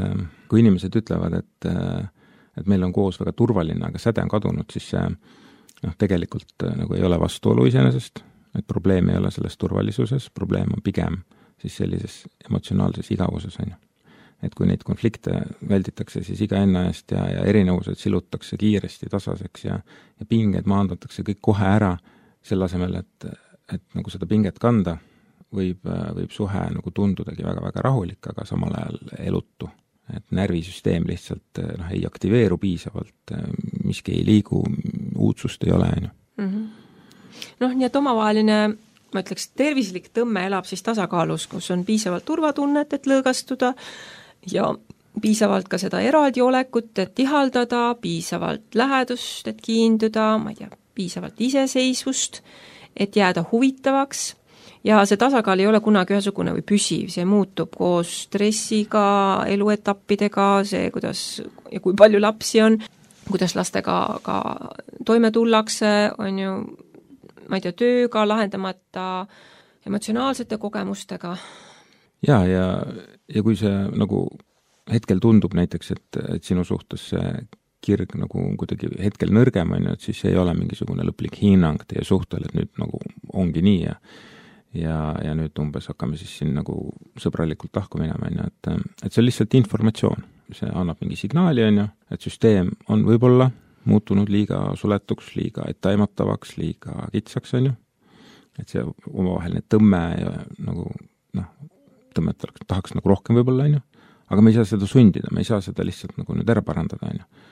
kui inimesed ütlevad, et, et meil on koos väga turvaline, aga säde on kadunud, siis see noh, tegelikult nagu ei ole vastuolu iseenesest, et probleem ei ole selles turvalisuses, probleem on pigem siis sellises emotsionaalses igavuses, on ju. Et kui neid konflikte välditakse, siis iga enna eest ja, ja erinevused silutakse kiiresti tasaseks ja, ja pinged maandatakse kõik kohe ära, selle asemel, et, et nagu seda pinget kanda, võib, võib suhe nagu tundudagi väga-väga rahulik, aga samal ajal elutu. Et närvisüsteem lihtsalt noh, ei aktiveeru piisavalt, miski ei liigu, uudsust ei ole, on ju. Mm-hmm. Noh, nii et omavaheline ma ütleks, tervislik tõmme elab siis tasakaalus, kus on piisavalt turvatunnet, et lõõgastuda ja piisavalt ka seda eraldi olekut, et ihaldada, piisavalt lähedust, et kiinduda, ma ei tea, piisavalt iseseisvust, et jääda huvitavaks ja see tasakaal ei ole kunagi ühesugune või püsiv, see muutub koos stressiga, eluetappidega, see, kuidas ja kui palju lapsi on, kuidas lastega ka toime tullakse, on ju, ma ei tea, tööga, lahendamata emotsionaalsete kogemustega. Ja, ja, ja kui see nagu hetkel tundub näiteks, et, et sinu suhtes see kirg nagu kuidagi hetkel nõrgem on, et siis ei ole mingisugune lõplik hinnang teie suhtel, et nüüd nagu ongi nii ja ja, ja nüüd umbes hakkame siis siin nagu sõbralikult lahku minema, et, et see on lihtsalt informatsioon. See annab mingi signaali, on ju, et süsteem on võib-olla muutunud liiga suletuks, liiga etteaimatavaks, liiga kitsaks, on ju. Et see omavaheline tõmme ja nagu, noh, tõmmet tahaks nagu rohkem võib-olla, on ju. Aga me ei saa seda sundida, me ei saa seda lihtsalt nagu nüüd ära parandada, on ju.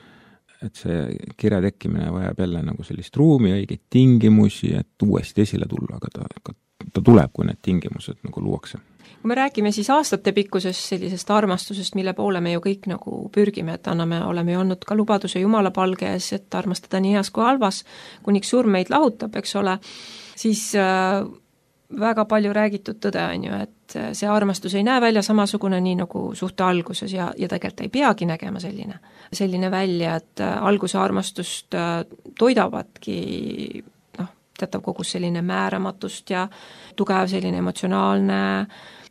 Et see kire tekkimine vajab jälle nagu sellist ruumi, õigeid tingimusi, et uuesti esile tulla, aga ta, ta tuleb, kui need tingimused nagu luuakse. Kui me räägime siis aastate pikkusest sellisest armastusest, mille poole me ju kõik nagu pürgime, et anname, oleme ju andnud ka lubaduse Jumala palge ees, et armastada nii heas kui halvas, kuniks surm meid lahutab, eks ole, siis äh, väga palju räägitud tõde on ju, et see armastus ei näe välja samasugune nii nagu suhte alguses ja, ja tegelikult ei peagi nägema selline, selline välja, et äh, alguse armastust äh, toidavadki noh, teatav kogus selline määramatust ja tugev selline emotsionaalne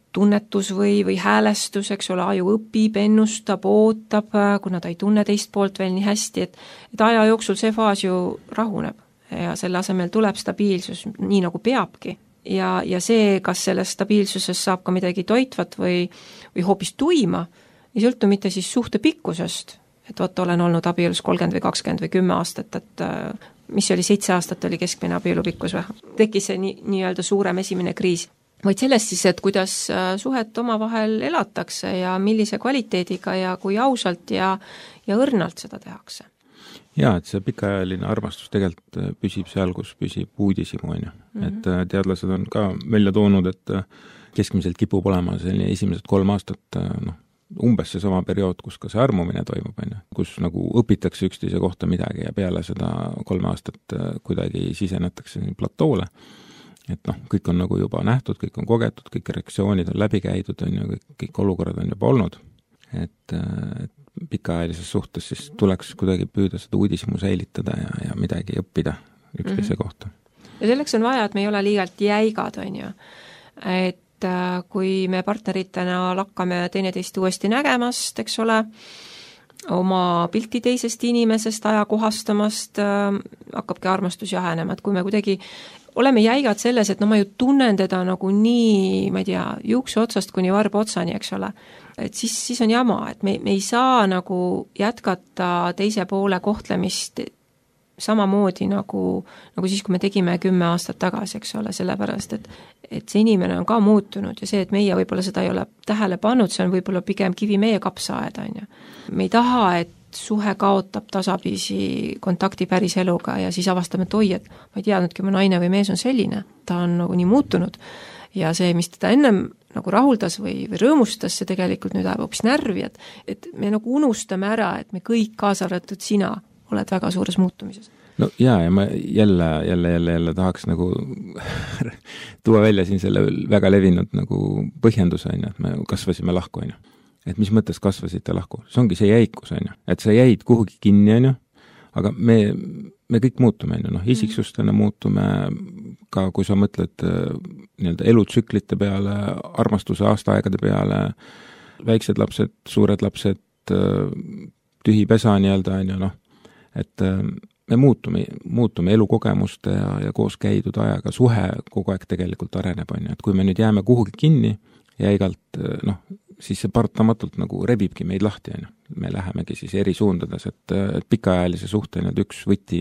tunnetus või, või häälestus, eks ole, aju õpib, ennustab, ootab, kuna ta ei tunne teist poolt veel nii hästi, et, et aja jooksul see faas ju rahuneb ja selle asemel tuleb stabiilsus, nii nagu peabki. Ja, ja see, kas selles stabiilsuses saab ka midagi toitvat või, või hoopis tuima, ei sõltu mitte siis suhte pikkusest, et vot olen olnud abielus kolmkümmend või kakskümmend või kümme aastat, et mis oli seitse aastat oli keskmine abielu pikkus või? Tekkis see nii, nii-öelda suurem esimene kriis. Vaid sellest siis, et kuidas suhet omavahel elatakse ja millise kvaliteediga ja kui ausalt ja, ja õrnalt seda tehakse. Jaa, et see pikaajaline armastus tegelikult püsib seal, kus püsib uudisimu, on ju. Mm-hmm. Et teadlased on ka välja toonud, et keskmiselt kipub olema selline esimesed kolm aastat noh, umbes see sama periood, kus ka see armumine toimub, on ju. Kus nagu õpitakse üksteise kohta midagi ja peale seda kolme aastat kuidagi sisenetakse platoole. Et noh, kõik on nagu juba nähtud, kõik on kogetud, kõik reaktsioonid on läbi käidud, on ju, kõik, kõik olukorrad on juba olnud. Et, et pikaajalises suhtes siis tuleks kuidagi püüda seda uudismu säilitada ja, ja midagi õppida üksteise mm-hmm. kohta. Ja selleks on vaja, et me ei ole liigalt jäigad, on ju. Et kui me partneritena lakkame teineteist uuesti nägemast, eks ole, oma pilti teisest inimesest, ajakohastamast, hakkabki armastus jahenema, et kui me kuidagi oleme jäigad selles, et no ma ju tunnen teda nagu nii, ma ei tea, juukse otsast kuni varba otsani, eks ole, et siis, siis on jama, et me, me ei saa nagu jätkata teise poole kohtlemist samamoodi nagu, nagu siis, kui me tegime kümme aastat tagasi, eks ole, sellepärast, et, et see inimene on ka muutunud ja see, et meie võib-olla seda ei ole tähele pannud, see on võib-olla pigem kivi meie kapsaaeda, on ju. Me ei taha, et suhe kaotab tasapisi kontakti päris eluga ja siis avastame, et oi, et ma ei teadnudki, mu naine või mees on selline, ta on nagu nii muutunud ja see, mis teda ennem nagu rahuldas või, või rõõmustas, see tegelikult nüüd ajab hoopis närvi, et, et me nagu unustame ära, et me kõik, kaasa arvatud sina, oled väga suures muutumises. no jaa, ja ma jälle, jälle, jälle, jälle tahaks nagu tuua välja siin selle väga levinud nagu põhjenduse, on ju, et me kasvasime lahku, on ju. Et mis mõttes kasvasite lahku? See ongi see jäikus, on ju. Et sa jäid kuhugi kinni, on ju, aga me, me kõik muutume, on ju, noh, isiksustena muutume ka, kui sa mõtled nii-öelda elutsüklite peale, armastuse aastaaegade peale, väiksed lapsed, suured lapsed, tühi pesa nii-öelda, on ju, noh, et me muutume, muutume elukogemuste ja, ja koos käidud ajaga, suhe kogu aeg tegelikult areneb, on ju, et kui me nüüd jääme kuhugi kinni ja igalt, noh, siis see partamatult nagu rebibki meid lahti, on ju. Me lähemegi siis eri suundades, et, et pikaajalise suhte nüüd üks võti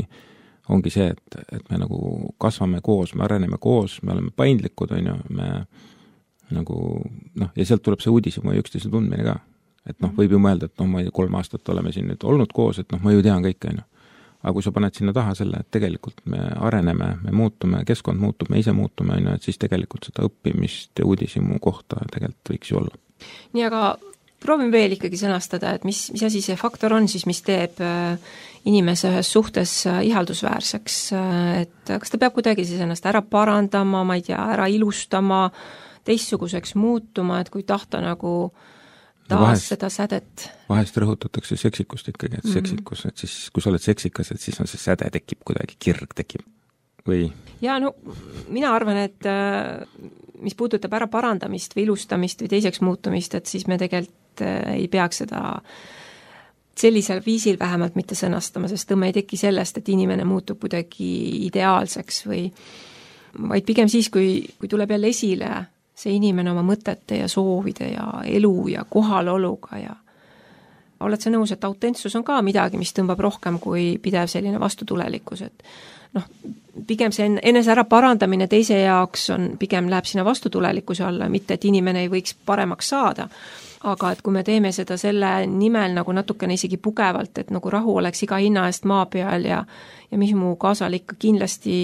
ongi see, et, et me nagu kasvame koos, me areneme koos, me oleme paindlikud, on ju, me nagu, noh, ja sealt tuleb see uudishimu ja üksteise tundmine ka. Et noh, võib ju mõelda, et noh, ma ei kolm aastat oleme siin nüüd olnud koos, et noh, ma ju tean kõike, on ju. Aga kui sa paned sinna taha selle, et tegelikult me areneme, me muutume, keskkond muutub, me ise muutume, on ju, et siis tegelikult seda õppimist ja uudishimu kohta tegelikult võiks ju olla. Nii, aga proovime veel ikkagi sõnastada, et mis, mis asi see faktor on siis, mis teeb inimese ühes suhtes ihaldusväärseks, et kas ta peab kuidagi siis ennast ära parandama, ma ei tea, ära ilustama, teistsuguseks muutuma, et kui tahta nagu taas no vahest, seda sädet. Vahest rõhutatakse seksikust ikkagi, et mm-hmm. seksikus, et siis kui sa oled seksikas, et siis on see säde tekib kuidagi, kirg tekib või? Ja no mina arvan, et mis puudutab ära parandamist või ilustamist või teiseks muutumist, et siis me tegelikult ei peaks seda sellisel viisil vähemalt mitte sõnastama, sest tõmme ei teki sellest, et inimene muutub kuidagi ideaalseks või vaid pigem siis, kui, kui tuleb jälle esile see inimene oma mõtete ja soovide ja elu ja kohaloluga ja oled sa nõus, et autentsus on ka midagi, mis tõmbab rohkem kui pidev selline vastutulelikkus, et noh, pigem see enese ära parandamine teise jaoks on, pigem läheb sinna vastutulelikkuse alla, mitte et inimene ei võiks paremaks saada. Aga et kui me teeme seda selle nimel nagu natukene isegi pugevalt, et nagu rahu oleks iga hinna eest maa peal ja, ja mis mu kaasal ikka kindlasti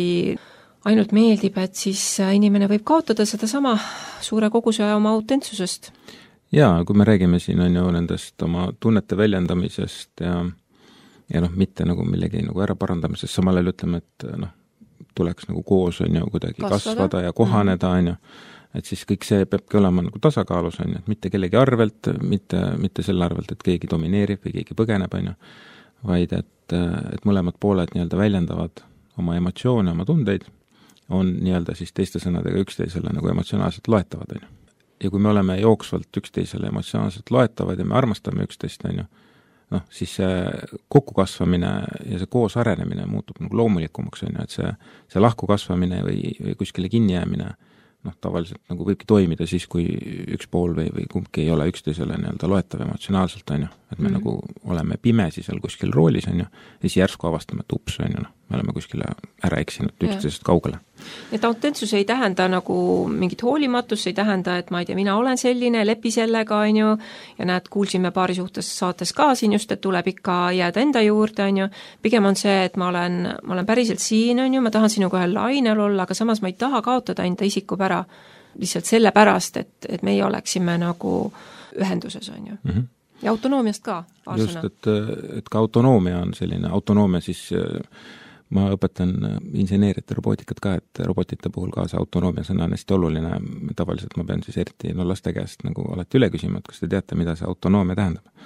ainult meeldib, et siis inimene võib kaotada seda sama suure koguse oma autentsusest. Jaa, kui me räägime siin on ju nendest oma tunnete väljendamisest ja ja noh, mitte nagu millegi nagu ära parandamisest, samal ajal ütleme, et noh, tuleks nagu koos on ju kuidagi kasvada, kasvada ja kohaneda on ju, et siis kõik see peabki olema nagu tasakaalus on ju, et mitte kellegi arvelt, mitte, mitte selle arvelt, et keegi domineerib või keegi põgeneb on ju, vaid et, et mõlemad pooled nii-öelda väljendavad oma emotsioone, oma tundeid, on nii-öelda siis teiste sõnadega üksteisele nagu emotsionaalselt loetavad on ju. Ja kui me oleme jooksvalt üksteisele emotsionaalselt loetavad ja me armastame üksteist on ju, noh, siis see kokkukasvamine ja see koos arenemine muutub nagu loomulikumaks, on ju, et see, see lahku kasvamine või, või kuskile kinni jäämine, noh, tavaliselt nagu võibki toimida siis, kui üks pool või, või kumbki ei ole üksteisele nii-öelda loetav emotsionaalselt, on ju, et me mm-hmm. nagu oleme pimesi seal kuskil roolis, on ju, ja siis järsku avastame, et ups, on ju, noh, me oleme kuskile ära eksinud üksteisest kaugele. Et autentsus ei tähenda nagu mingit hoolimatus, ei tähenda, et ma ei tea, mina olen selline, lepi sellega, on ju, ja näed, kuulsime paari suhtes saates ka siin just, et tuleb ikka jääda enda juurde, on ju, pigem on see, et ma olen, ma olen päriselt siin, on ju, ma tahan sinuga ühel lainel olla, aga samas ma ei taha kaotada enda isikupära lihtsalt selle pärast, et, et meie oleksime nagu ühenduses, on ju. Mm-hmm. Ja autonoomiast ka, aastana. Just, et, et ka autonoomia on selline, autonoomia siis ma õpetan inseneeriat ja robootikat ka, et robotite puhul ka see autonoomia sõna on hästi oluline, tavaliselt ma pean siis eriti no laste käest nagu alati üle küsima, et kas te teate, mida see autonoomia tähendab.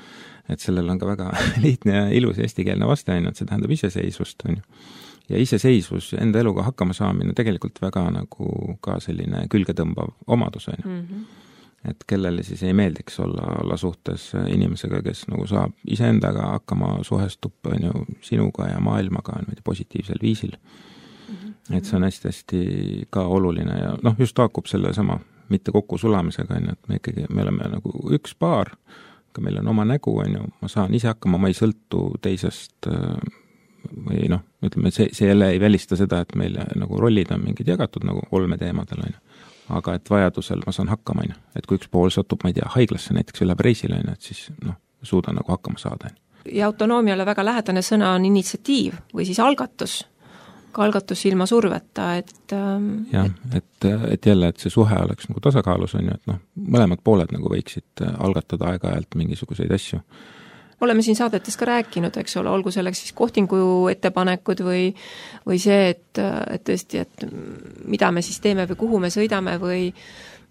Et sellel on ka väga lihtne ja ilus eestikeelne vaste, on ju, et see tähendab iseseisvust, on ju. Ja iseseisvus, enda eluga hakkama saamine tegelikult väga nagu ka selline külgetõmbav omadus, on ju. Mm-hmm. Et kellele siis ei meeldiks olla, olla suhtes inimesega, kes nagu saab iseendaga hakkama, suhestub on ju, sinuga ja maailmaga on positiivsel viisil. Mm-hmm. Et see on hästi-hästi ka oluline ja noh, just taakub selle sama mitte kokku sulamisega, on ju, et me ikkagi, me oleme nagu üks paar, aga meil on oma nägu, on ju, ma saan ise hakkama, ma ei sõltu teisest või noh, ütleme, see, see jälle ei välista seda, et meil nagu rollid on mingid jagatud nagu olmeteemadel, on ju. Aga et vajadusel ma saan hakkama, on ju. Et kui üks pool satub, ma ei tea, haiglasse näiteks üle reisile, on ju, et siis noh, suudan nagu hakkama saada. Ja autonoomiale väga lähedane sõna on initsiatiiv või siis algatus. Ka algatus ilma surveta, et... jah, et, et jälle, et see suhe oleks nagu tasakaalus, on ju, et noh, mõlemad pooled nagu võiksid algatada aeg-ajalt mingisuguseid asju. oleme siin saadetes ka rääkinud, eks ole, olgu selleks siis kohtingu ettepanekud või, või see, et, et tõesti, et mida me siis teeme või kuhu me sõidame või,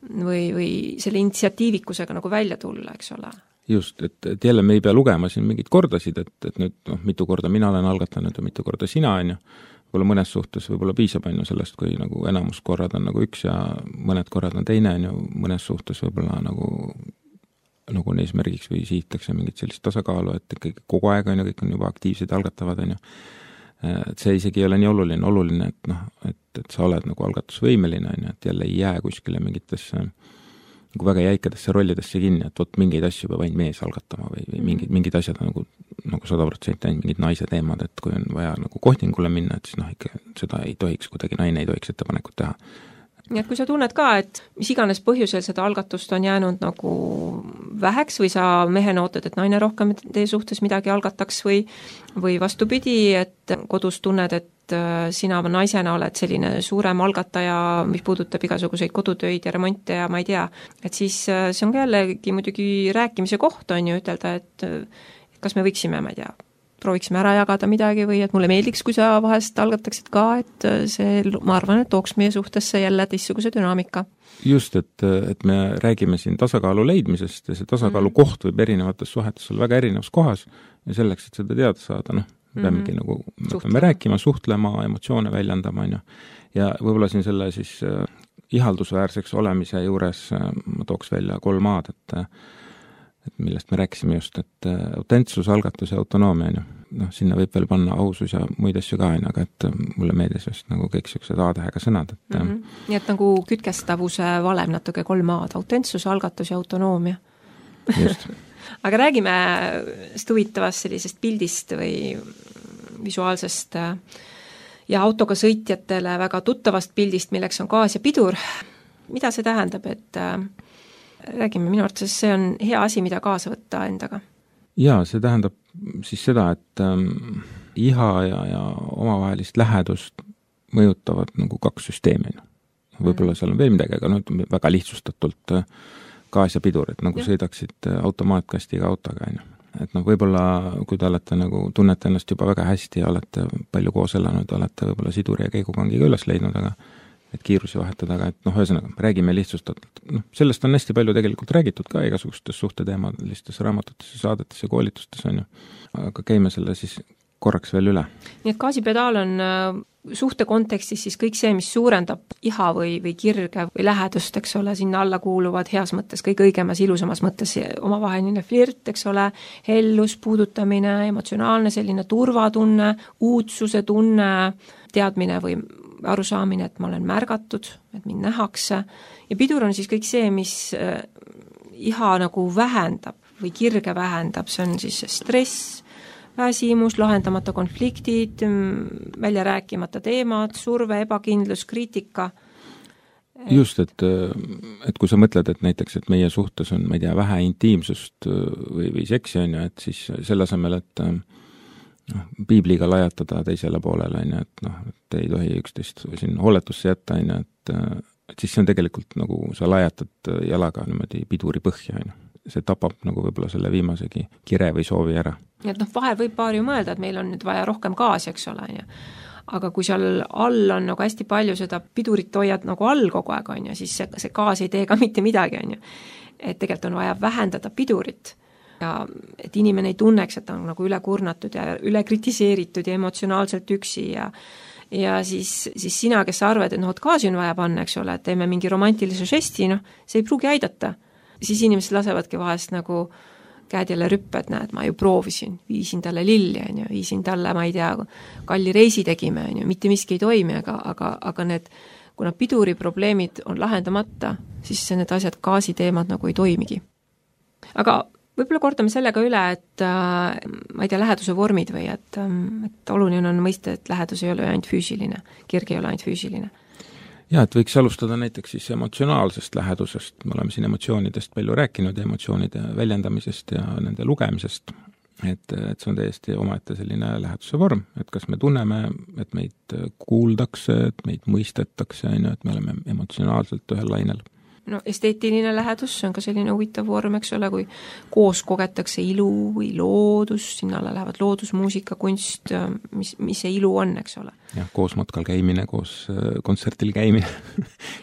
või, või selle initsiatiivikusega nagu välja tulla, eks ole. Just, et, et jälle me ei pea lugema siin mingid kordasid, et, et nüüd noh, mitu korda mina olen algatanud ja mitu korda sina, on ju. Võib-olla mõnes suhtes võib-olla piisab on ju sellest, kui nagu enamus korrad on nagu üks ja mõned korrad on teine, on ju, mõnes suhtes võib-olla nagu nagu on eesmärgiks või sihitakse mingit sellist tasakaalu, et ikkagi kogu aeg on ju, kõik on juba aktiivsed algatavad, on ju. Et see isegi ei ole nii oluline, oluline, et noh, et, et sa oled nagu algatusvõimeline, on ju, et jälle ei jää kuskile mingitesse nagu väga jäikadesse rollidesse kinni, et vot mingeid asju peab ainult mees algatama või, või mingid, mingid asjad nagu, nagu sada protsenti ainult mingid naise teemad, et kui on vaja nagu kohtingule minna, et siis noh, ikka seda ei tohiks, kuidagi naine ei tohiks ettepanekut teha. Nii et kui sa tunned ka, et mis iganes põhjusel seda algatust on jäänud nagu väheks või sa mehena ootad, et naine rohkem teie suhtes midagi algataks või, või vastupidi, et kodus tunned, et sina naisena oled selline suurem algataja, mis puudutab igasuguseid kodutöid ja remonte ja ma ei tea, et siis see on ka jällegi muidugi rääkimise koht on ju ütelda, et kas me võiksime, ma ei tea, prooviksime ära jagada midagi või et mulle meeldiks, kui sa vahest algataksid ka, et see, ma arvan, et tooks meie suhtesse jälle teistsuguse dünaamika. Just, et, et me räägime siin tasakaalu leidmisest ja see tasakaalu mm. koht võib erinevates suhetes olla väga erinevas kohas ja selleks, et seda teada saada, noh, peamegi mm-hmm. nagu, me peame rääkima, suhtlema, emotsioone väljendama, on ju. Ja võib-olla siin selle siis äh, ihaldusväärseks olemise juures äh, ma tooks välja kolm aad, et äh, et millest me rääkisime just, et autentsus, algatus ja autonoomia, on ju. Noh, sinna võib veel panna ausus ja muid asju ka, aga et mulle meeldis just nagu kõik sellised A-tähega sõnad. Et, mm-hmm. Nii et nagu kütkestavuse valem natuke kolm aad, autentsus, algatus ja autonoomia. Just. Aga räägime sellest huvitavast sellisest pildist või visuaalsest ja autoga sõitjatele väga tuttavast pildist, milleks on gaas ja pidur. Mida see tähendab, et räägime, minu arvates see on hea asi, mida kaasa võtta endaga. Jaa, see tähendab siis seda, et ähm, iha ja, ja omavahelist lähedust mõjutavad nagu kaks süsteemi. Võib-olla seal on veel midagi, aga nüüd väga lihtsustatult äh, gaas ja pidur, et nagu ja. Sõidaksid automaatkastiga autoga, on ju. Et noh, võib-olla kui te olete nagu, tunnete ennast juba väga hästi ja olete palju koos elanud, olete võib-olla siduri ja keigukangiga üles leidnud, aga et kiirusi vahetada, aga et noh, ühesõnaga, räägime lihtsustatult. Noh, sellest on hästi palju tegelikult räägitud ka igasugustes suhteteemalistes raamatutes ja saadetes ja koolitustes, on ju. Aga käime selle siis korraks veel üle. Nii et gaasipedaal on suhte kontekstis siis kõik see, mis suurendab iha või, või kirge või lähedust, eks ole, sinna alla kuuluvad heas mõttes, kõik õigemas, ilusamas mõttes omavaheline flirt, eks ole, hellus, puudutamine, emotsionaalne selline turvatunne, uudsuse tunne, teadmine või arusaamine, et ma olen märgatud, et mind nähakse ja pidur on siis kõik see, mis iha nagu vähendab või kirge vähendab, see on siis stress, väsimus, lahendamata konfliktid, välja rääkimata teemad, surve, ebakindlus, kriitika. Just, et, et kui sa mõtled, et näiteks, et meie suhtes on, ma ei tea, vähe intiimsust või, või seksi, on ju, et siis selle asemel, et noh, piibliga lajatada teisele poolele, on ju, et noh, et ei tohi üksteist siin hooletusse jätta, on ju, et, et siis see on tegelikult nagu sa lajatad jalaga niimoodi piduri põhja, on ju. See tapab nagu võib-olla selle viimasegi kire või soovi ära. Et noh, vahel võib paar ju mõelda, et meil on nüüd vaja rohkem gaasi, eks ole, on ju. Aga kui seal all on nagu hästi palju seda pidurit hoiad nagu all kogu aeg, on ju, siis see, see gaas ei tee ka mitte midagi, on ju. Et tegelikult on vaja vähendada pidurit ja et inimene ei tunneks, et ta on nagu üle kurnatud ja üle kritiseeritud ja emotsionaalselt üksi ja ja siis, siis sina, kes sa arvad, et noh, et gaasi on vaja panna, eks ole, et teeme mingi romantilise žesti, noh, see ei pruugi aidata. Siis inimesed lasevadki vahest nagu käed jälle rüppe, et näed, ma ju proovisin, viisin talle lilli, on ju, viisin talle, ma ei tea, kalli reisi tegime, on ju, mitte miski ei toimi, aga, aga, aga need, kuna piduri probleemid on lahendamata, siis need asjad, gaasiteemad nagu ei toimigi. Aga võib-olla kordame sellega üle, et äh, ma ei tea, läheduse vormid või et, et oluline on mõista, et lähedus ei ole ainult füüsiline, kirg ei ole ainult füüsiline. Ja, et võiks alustada näiteks siis emotsionaalsest lähedusest, me oleme siin emotsioonidest palju rääkinud, emotsioonide väljendamisest ja nende lugemisest, et, et see on täiesti omaette selline läheduse vorm, et kas me tunneme, et meid kuuldakse, et meid mõistetakse, et me oleme emotsionaalselt ühel lainel. no esteetiline lähedus, see on ka selline huvitav vorm, eks ole, kui koos kogetakse ilu või loodus, sinna alla lähevad loodusmuusika, kunst, mis, mis see ilu on, eks ole. jah, koos matkal käimine, koos kontsertil käimine,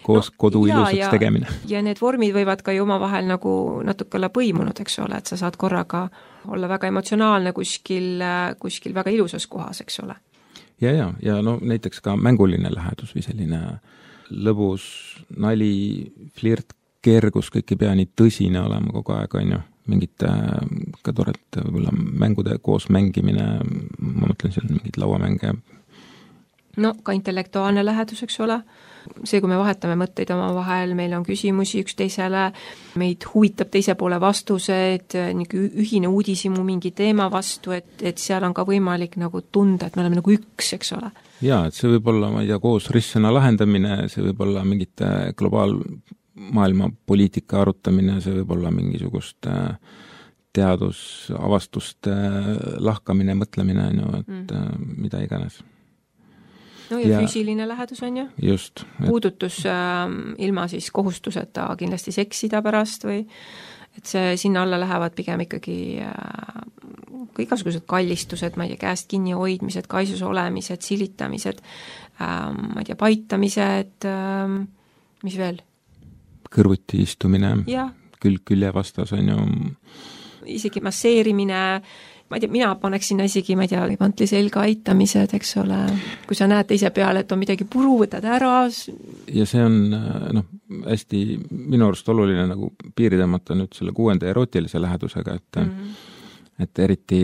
koos no, kodu ilusaks ja, tegemine. Ja need vormid võivad ka ju omavahel nagu natuke olla põimunud, eks ole, et sa saad korraga olla väga emotsionaalne kuskil, kuskil väga ilusas kohas, eks ole. ja, ja, ja no näiteks ka mänguline lähedus või selline lõbus, nali, flirt, kergus, kõik ei pea nii tõsine olema kogu aeg, on ju, mingite ka toredate võib-olla mängude koos mängimine, ma mõtlen seal mingid lauamänge. No ka intellektuaalne lähedus, eks ole, see, kui me vahetame mõtteid oma vahel, meil on küsimusi üks teisele, meid huvitab teise poole vastused, ühine uudisimu mingi teema vastu, et, et seal on ka võimalik nagu tunda, et me oleme nagu üks, eks ole. Jaa, et see võib olla, ma ei tea, koos ristsõna lahendamine, see võib olla mingite globaalmaailma poliitika arutamine, see võib olla mingisugust teadusavastuste lahkamine, mõtlemine, et mm. mida iganes. No ja, ja füüsiline lähedus on ju? Just. Et... puudutus äh, ilma siis kohustuseta kindlasti seksida pärast või et see sinna alla lähevad pigem ikkagi äh, igasugused kallistused, ma ei tea, käest kinni hoidmised, kaisus olemised, silitamised, äh, ma ei tea, paitamised, äh, mis veel? Kõrvuti istumine, külg külje vastas on ju. Isegi masseerimine, ma ei tea, mina paneks sinna isegi, ma ei tea, pantli selga aitamised, eks ole, kui sa näed teise peale, et on midagi puru, võtad ära. Ja see on noh, hästi minu arust oluline nagu piiri tõmmata nüüd selle kuuenda erootilise lähedusega, et mm. et eriti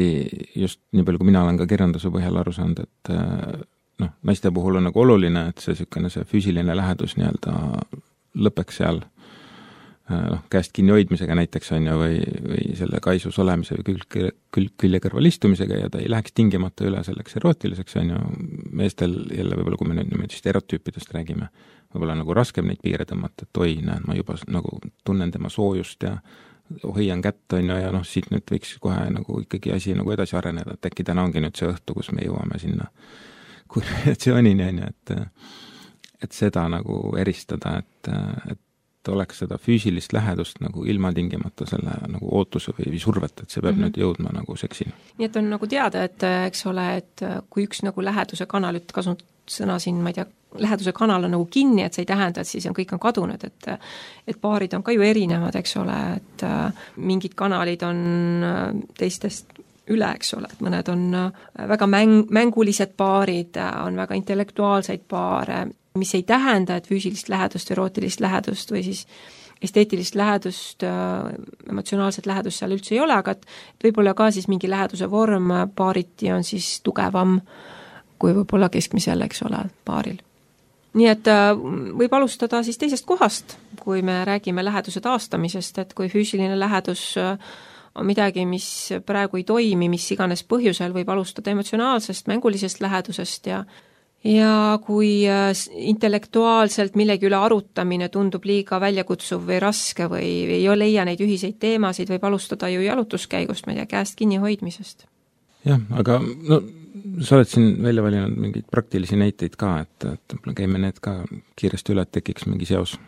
just nii palju, kui mina olen ka kirjanduse põhjal aru saanud, et noh, naiste puhul on nagu oluline, et see sükene see füüsiline lähedus nii-öelda lõpeks seal noh, käest kinni hoidmisega näiteks on ju, või, või selle kaisus olemise või külg, külg, külje kõrval istumisega ja ta ei läheks tingimata üle selleks erootiliseks on ju, meestel jälle võib-olla, kui me nüüd niimoodi stereotüüpidest räägime, võib-olla nagu raskem neid piire tõmmata, et oi, näed, ma juba nagu tunnen tema soojust ja hoian kätt on ju, ja noh, siit nüüd võiks kohe nagu ikkagi asi nagu edasi areneda, et äkki täna ongi nüüd see õhtu, kus me jõuame sinna kulminatsioonini on ju, et et seda nagu eristada, et, et oleks seda füüsilist lähedust nagu ilma tingimata selle nagu ootuse või survet, et see peab mm -hmm. nüüd jõudma nagu seksini. Nii et on nagu teada, et eks ole, et kui üks nagu läheduse kanal, et kasut sõna siin, ma ei tea, läheduse kanal on nagu kinni, et see ei tähenda, et siis on, kõik on kadunud, et et paarid on ka ju erinevad, eks ole, et mingid kanalid on teistest üle, eks ole, et mõned on väga mäng, mängulised paarid, on väga intellektuaalseid paare, mis ei tähenda, et füüsilist lähedust, erootilist lähedust või siis esteetilist lähedust, emotsionaalset lähedust seal üldse ei ole, aga et võib-olla ka siis mingi läheduse vorm paariti on siis tugevam kui võib-olla keskmisel, eks ole, paaril. Nii et võib alustada siis teisest kohast, kui me räägime läheduse taastamisest, et kui füüsiline lähedus on midagi, mis praegu ei toimi, mis iganes põhjusel, võib alustada emotsionaalsest, mängulisest lähedusest ja ja kui intellektuaalselt millegi üle arutamine tundub liiga väljakutsuv või raske või ei leia neid ühiseid teemasid, võib alustada ju jalutuskäigust, ma ei tea, käest kinni hoidmisest. Jah, aga no sa oled siin välja valinud mingeid praktilisi näiteid ka, et, et käime need ka kiiresti üle, et tekiks mingi seos.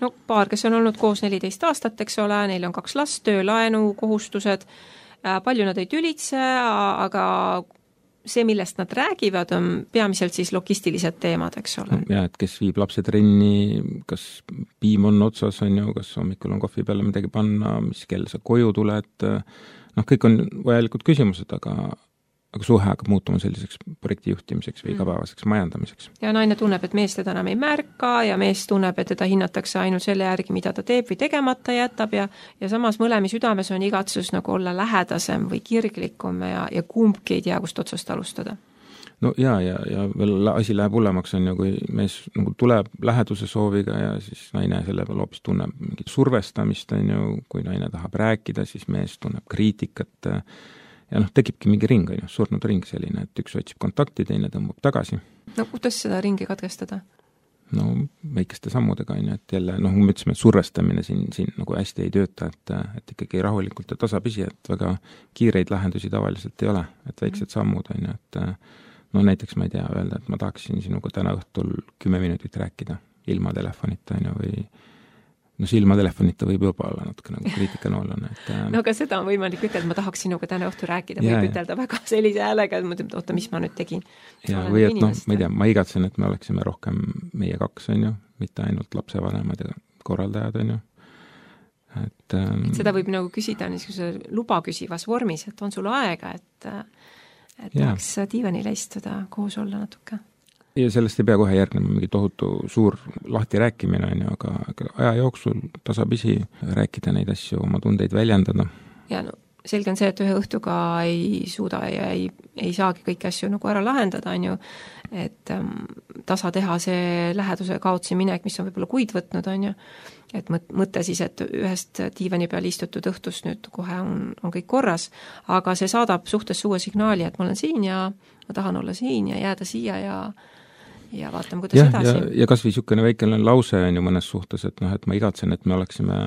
No paar, kes on olnud koos neliteist aastat, eks ole, neil on kaks last, töölaenu, kohustused, palju nad ei tülitse, aga see, millest nad räägivad, on peamiselt siis logistilised teemad, eks ole. Ja, et kes viib lapse trenni, kas piim on otsas, on ju, kas hommikul on kohvi peale midagi panna, mis kell sa koju tuled, noh, kõik on vajalikud küsimused, aga, aga suhe hakkab muutuma selliseks projekti juhtimiseks või igapäevaseks majandamiseks. Ja naine tunneb, et mees teda enam ei märka ja mees tunneb, et teda hinnatakse ainult selle järgi, mida ta teeb või tegemata jätab ja, ja samas mõlemi südames on igatsus nagu olla lähedasem või kirglikum ja, ja kumbki ei tea, kust otsast alustada. No ja, ja, ja veel asi läheb hullemaks on ju, kui mees nagu tuleb läheduse sooviga ja siis naine selle peal hoopis tunneb mingit survestamist on ju, kui naine tahab rääkida, siis mees tunneb kriitikat ja noh, tekibki mingi ring, on ju, surnud ring selline, et üks otsib kontakti, teine tõmbab tagasi. No kuidas seda ringi katkestada? No väikeste sammudega, on ju, et jälle, noh, me ütlesime, et survestamine siin, siin nagu hästi ei tööta, et, et ikkagi rahulikult ja tasapisi, et väga kiireid lahendusi tavaliselt ei ole, et väiksed sammud, on ju, et no näiteks ma ei tea öelda, et ma tahaksin sinuga täna õhtul kümme minutit rääkida ilma telefonita, on ju, või no silmatelefonita võib juba olla natuke nagu kriitikanoolane, et no aga seda on võimalik ütelda, ma tahaks sinuga täna õhtu rääkida, ja, võib ütelda väga sellise häälega, et mõtleb, oota, mis ma nüüd tegin. Ja, või et noh, ma ei tea, ma igatsen, et me oleksime rohkem meie kaks, on ju, mitte ainult lapsevanemad ja korraldajad, on ju. Et, ähm, et seda võib nagu küsida niisuguse luba küsivas vormis, et on sul aega, et, et ja. tahaks diivanile istuda, koos olla natuke. Ja sellest ei pea kohe järgnema mingi tohutu suur lahti rääkimine, on ju, aga, aga aja jooksul tasapisi rääkida neid asju, oma tundeid väljendada. Ja no selge on see, et ühe õhtuga ei suuda ja ei, ei saagi kõiki asju nagu ära lahendada, on ju, et ähm, tasa teha see läheduse kaotsi minek, mis on võib-olla kuid võtnud, on ju, et mõte siis, et ühest diivani peal istutud õhtust nüüd kohe on, on kõik korras, aga see saadab suhtes uue signaali, et ma olen siin ja ma tahan olla siin ja jääda siia ja ja vaatame, kuidas ja, edasi. Ja, ja kas või niisugune väikene lause on ju mõnes suhtes, et noh, et ma igatsen, et me oleksime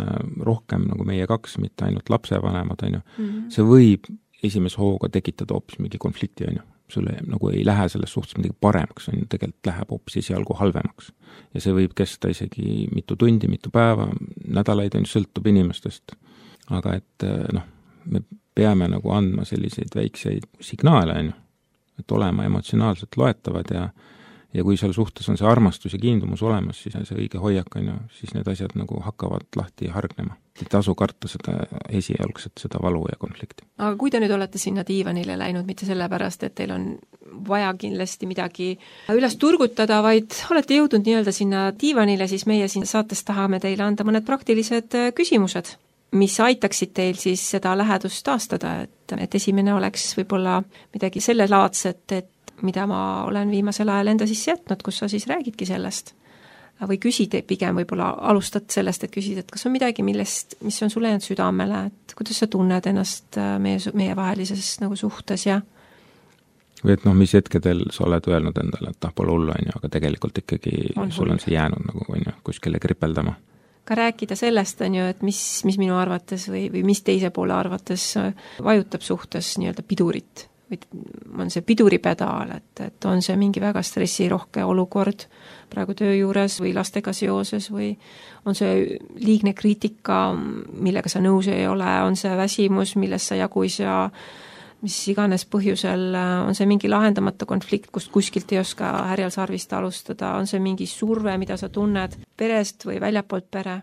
rohkem nagu meie kaks, mitte ainult lapsevanemad, on ju. Mm -hmm. See võib esimese hooga tekitada hoopis mingi konflikti, on ju. Sulle nagu ei lähe selles suhtes midagi paremaks, on ju, tegelikult läheb hoopis esialgu halvemaks. Ja see võib kesta isegi mitu tundi, mitu päeva, nädalaid on ju, sõltub inimestest. Aga et noh, me peame nagu andma selliseid väikseid signaale, on ju, et olema emotsionaalselt loetavad ja ja kui seal suhtes on see armastus ja kiindumus olemas, siis on see õige hoiak, on ju, siis need asjad nagu hakkavad lahti hargnema. Et tasu karta seda esialgset, seda valu ja konflikti. Aga kui te nüüd olete sinna diivanile läinud, mitte sellepärast, et teil on vaja kindlasti midagi üles turgutada, vaid olete jõudnud nii-öelda sinna diivanile, siis meie siin saates tahame teile anda mõned praktilised küsimused, mis aitaksid teil siis seda lähedust taastada, et, et esimene oleks võib-olla midagi selle laadset, et mida ma olen viimasel ajal enda sisse jätnud, kus sa siis räägidki sellest. Või küsid pigem võib-olla, alustad sellest, et küsid, et kas on midagi, millest, mis on sulle jäänud südamele, et kuidas sa tunned ennast meie, meie vahelises nagu suhtes ja või et noh, mis hetkedel sa oled öelnud endale, et noh, pole hullu, on ju, aga tegelikult ikkagi on sul on see jäänud nagu, on ju, kuskile kripeldama. Ka rääkida sellest, on ju, et mis, mis minu arvates või, või mis teise poole arvates vajutab suhtes nii-öelda pidurit. Või on see piduripedaal, et, et on see mingi väga stressirohke olukord praegu töö juures või lastega seoses või on see liigne kriitika, millega sa nõus ei ole, on see väsimus, millest sa jagu ei saa, mis iganes põhjusel, on see mingi lahendamata konflikt, kust kuskilt ei oska härjal sarvist alustada, on see mingi surve, mida sa tunned perest või väljapoolt pere?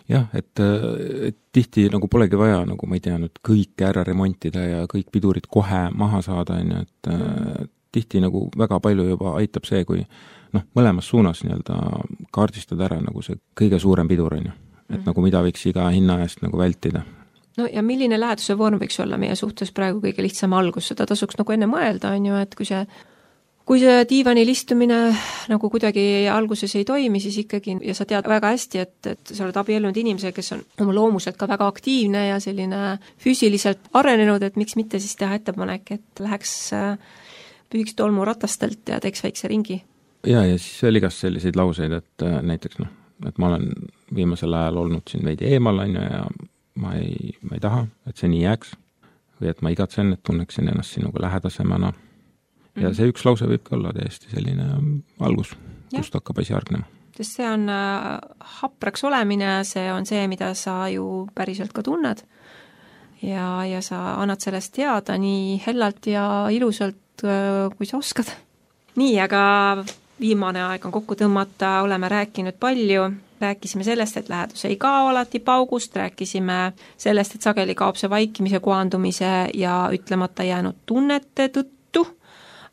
Jah, et, et tihti nagu polegi vaja, nagu ma ei tea, nüüd kõike ära remontida ja kõik pidurid kohe maha saada, on ju, et mm. tihti nagu väga palju juba aitab see, kui noh, mõlemas suunas nii-öelda kaardistada ära nagu see kõige suurem pidur, on ju. Et mm. nagu mida võiks iga hinna eest nagu vältida. No ja milline läheduse vorm võiks olla meie suhtes praegu kõige lihtsam algus, seda tasuks nagu enne mõelda, on ju, et kui see Kui see diivanil istumine nagu kuidagi alguses ei toimi, siis ikkagi, ja sa tead väga hästi, et, et sa oled abiellunud inimese, kes on oma loomuselt ka väga aktiivne ja selline füüsiliselt arenenud, et miks mitte siis teha ettepanek, et läheks püüks tolmu ratastelt ja teeks väikse ringi. Ja, ja siis veel igast selliseid lauseid, et näiteks noh, et ma olen viimasel ajal olnud siin veidi eemal, on ju, ja ma ei, ma ei taha, et see nii jääks. Või et ma igatsen, et tunneksin ennast sinuga lähedasemana. Ja see üks lause võib ka olla täiesti selline algus, kust ja. hakkab asi hargnema. Sest see on hapraks olemine, see on see, mida sa ju päriselt ka tunned ja, ja sa annad sellest teada nii hellalt ja ilusalt, kui sa oskad. Nii, aga viimane aeg on kokku tõmmata, oleme rääkinud palju, rääkisime sellest, et lähedus ei kao alati paugust, rääkisime sellest, et sageli kaob see vaikimise, kohandumise ja ütlemata jäänud tunnete tõttu,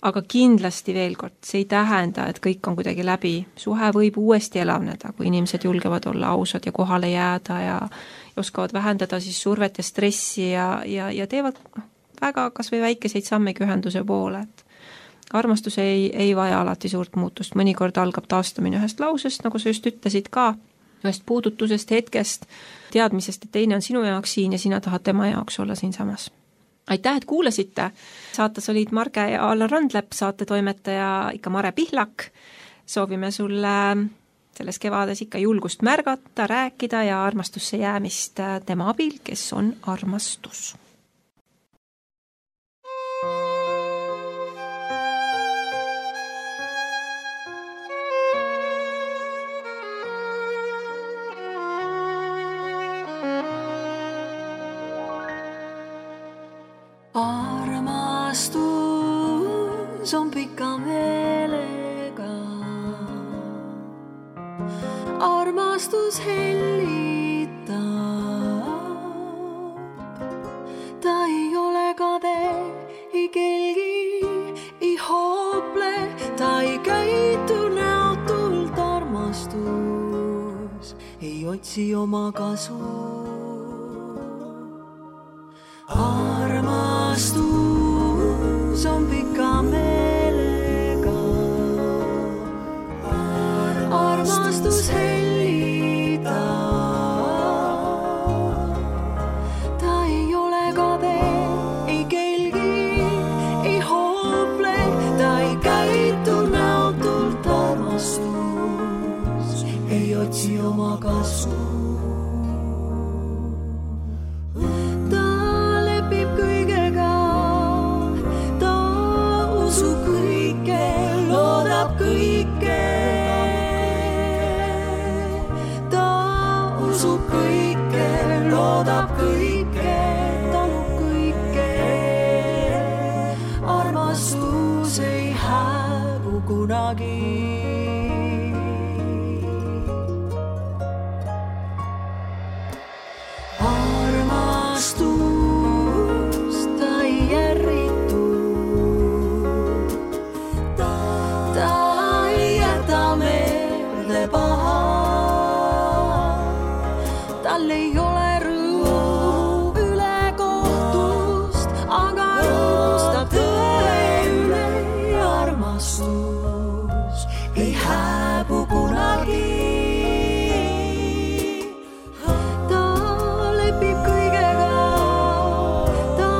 aga kindlasti veel kord, see ei tähenda, et kõik on kuidagi läbi. Suhe võib uuesti elavneda, kui inimesed julgevad olla ausad ja kohale jääda ja oskavad vähendada siis survet ja stressi ja, ja, ja teevad noh, väga kas või väikeseid sammegi ühenduse poole. Et armastus ei, ei vaja alati suurt muutust, mõnikord algab taastumine ühest lausest, nagu sa just ütlesid ka, ühest puudutusest, hetkest, teadmisest, et teine on sinu jaoks siin ja sina tahad tema jaoks olla siin samas. Aitäh, et kuulasite. Saates olid Marge ja Allan Randlepp, saate toimetaja ikka Mare Pihlak. Soovime sulle selles kevades ikka julgust märgata, rääkida ja armastusse jäämist tema abil, kes on armastus. Armastus on pika meelega, armastus hellitab, ta ei ole kade, ei kelgi, ei hoople, ta ei käitu näotult, armastus ei otsi oma kasu. Armastus on pika meelega, armastus hellitab, ta ei ole kade, ei kelgi, ei hoople, ta ei käitu näotult, armastus ei otsi oma kasu. Loodab kõike, talub kõike, armastus ei hääbu kunagi. Armastus ta ei järritu, ta ei jäta meelde paha, tal ei ole ei hääbu kunagi. Ta lepib kõigega, ta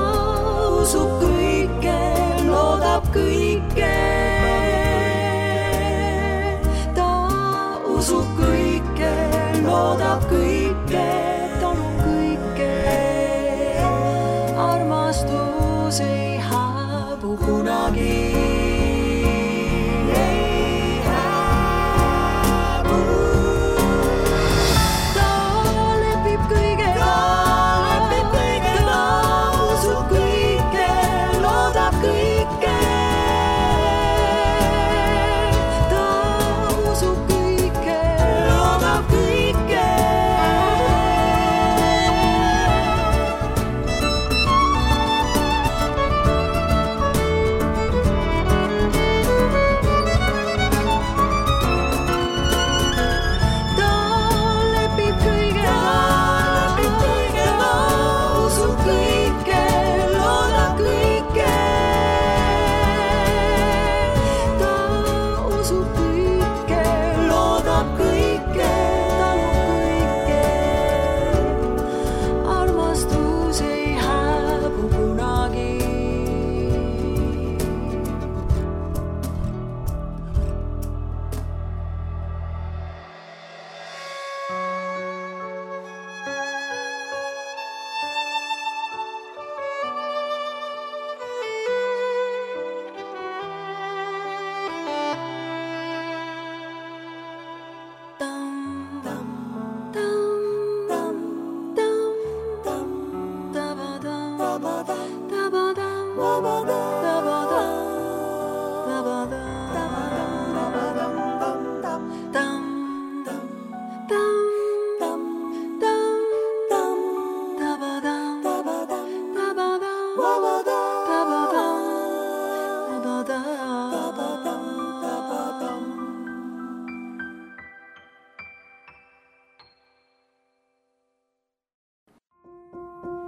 usub kõike, loodab kõike. Ta usub kõike, loodab kõike, talub kõike. Armastus ei hääbu kunagi.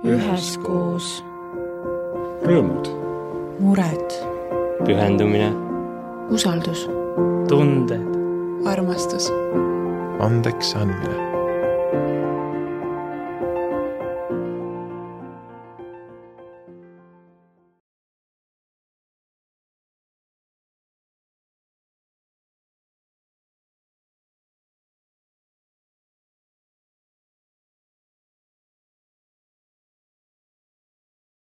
Üheskoos. Rõõmud. Mured. Pühendumine. Usaldus. Tunded. Armastus. Andeks andmine.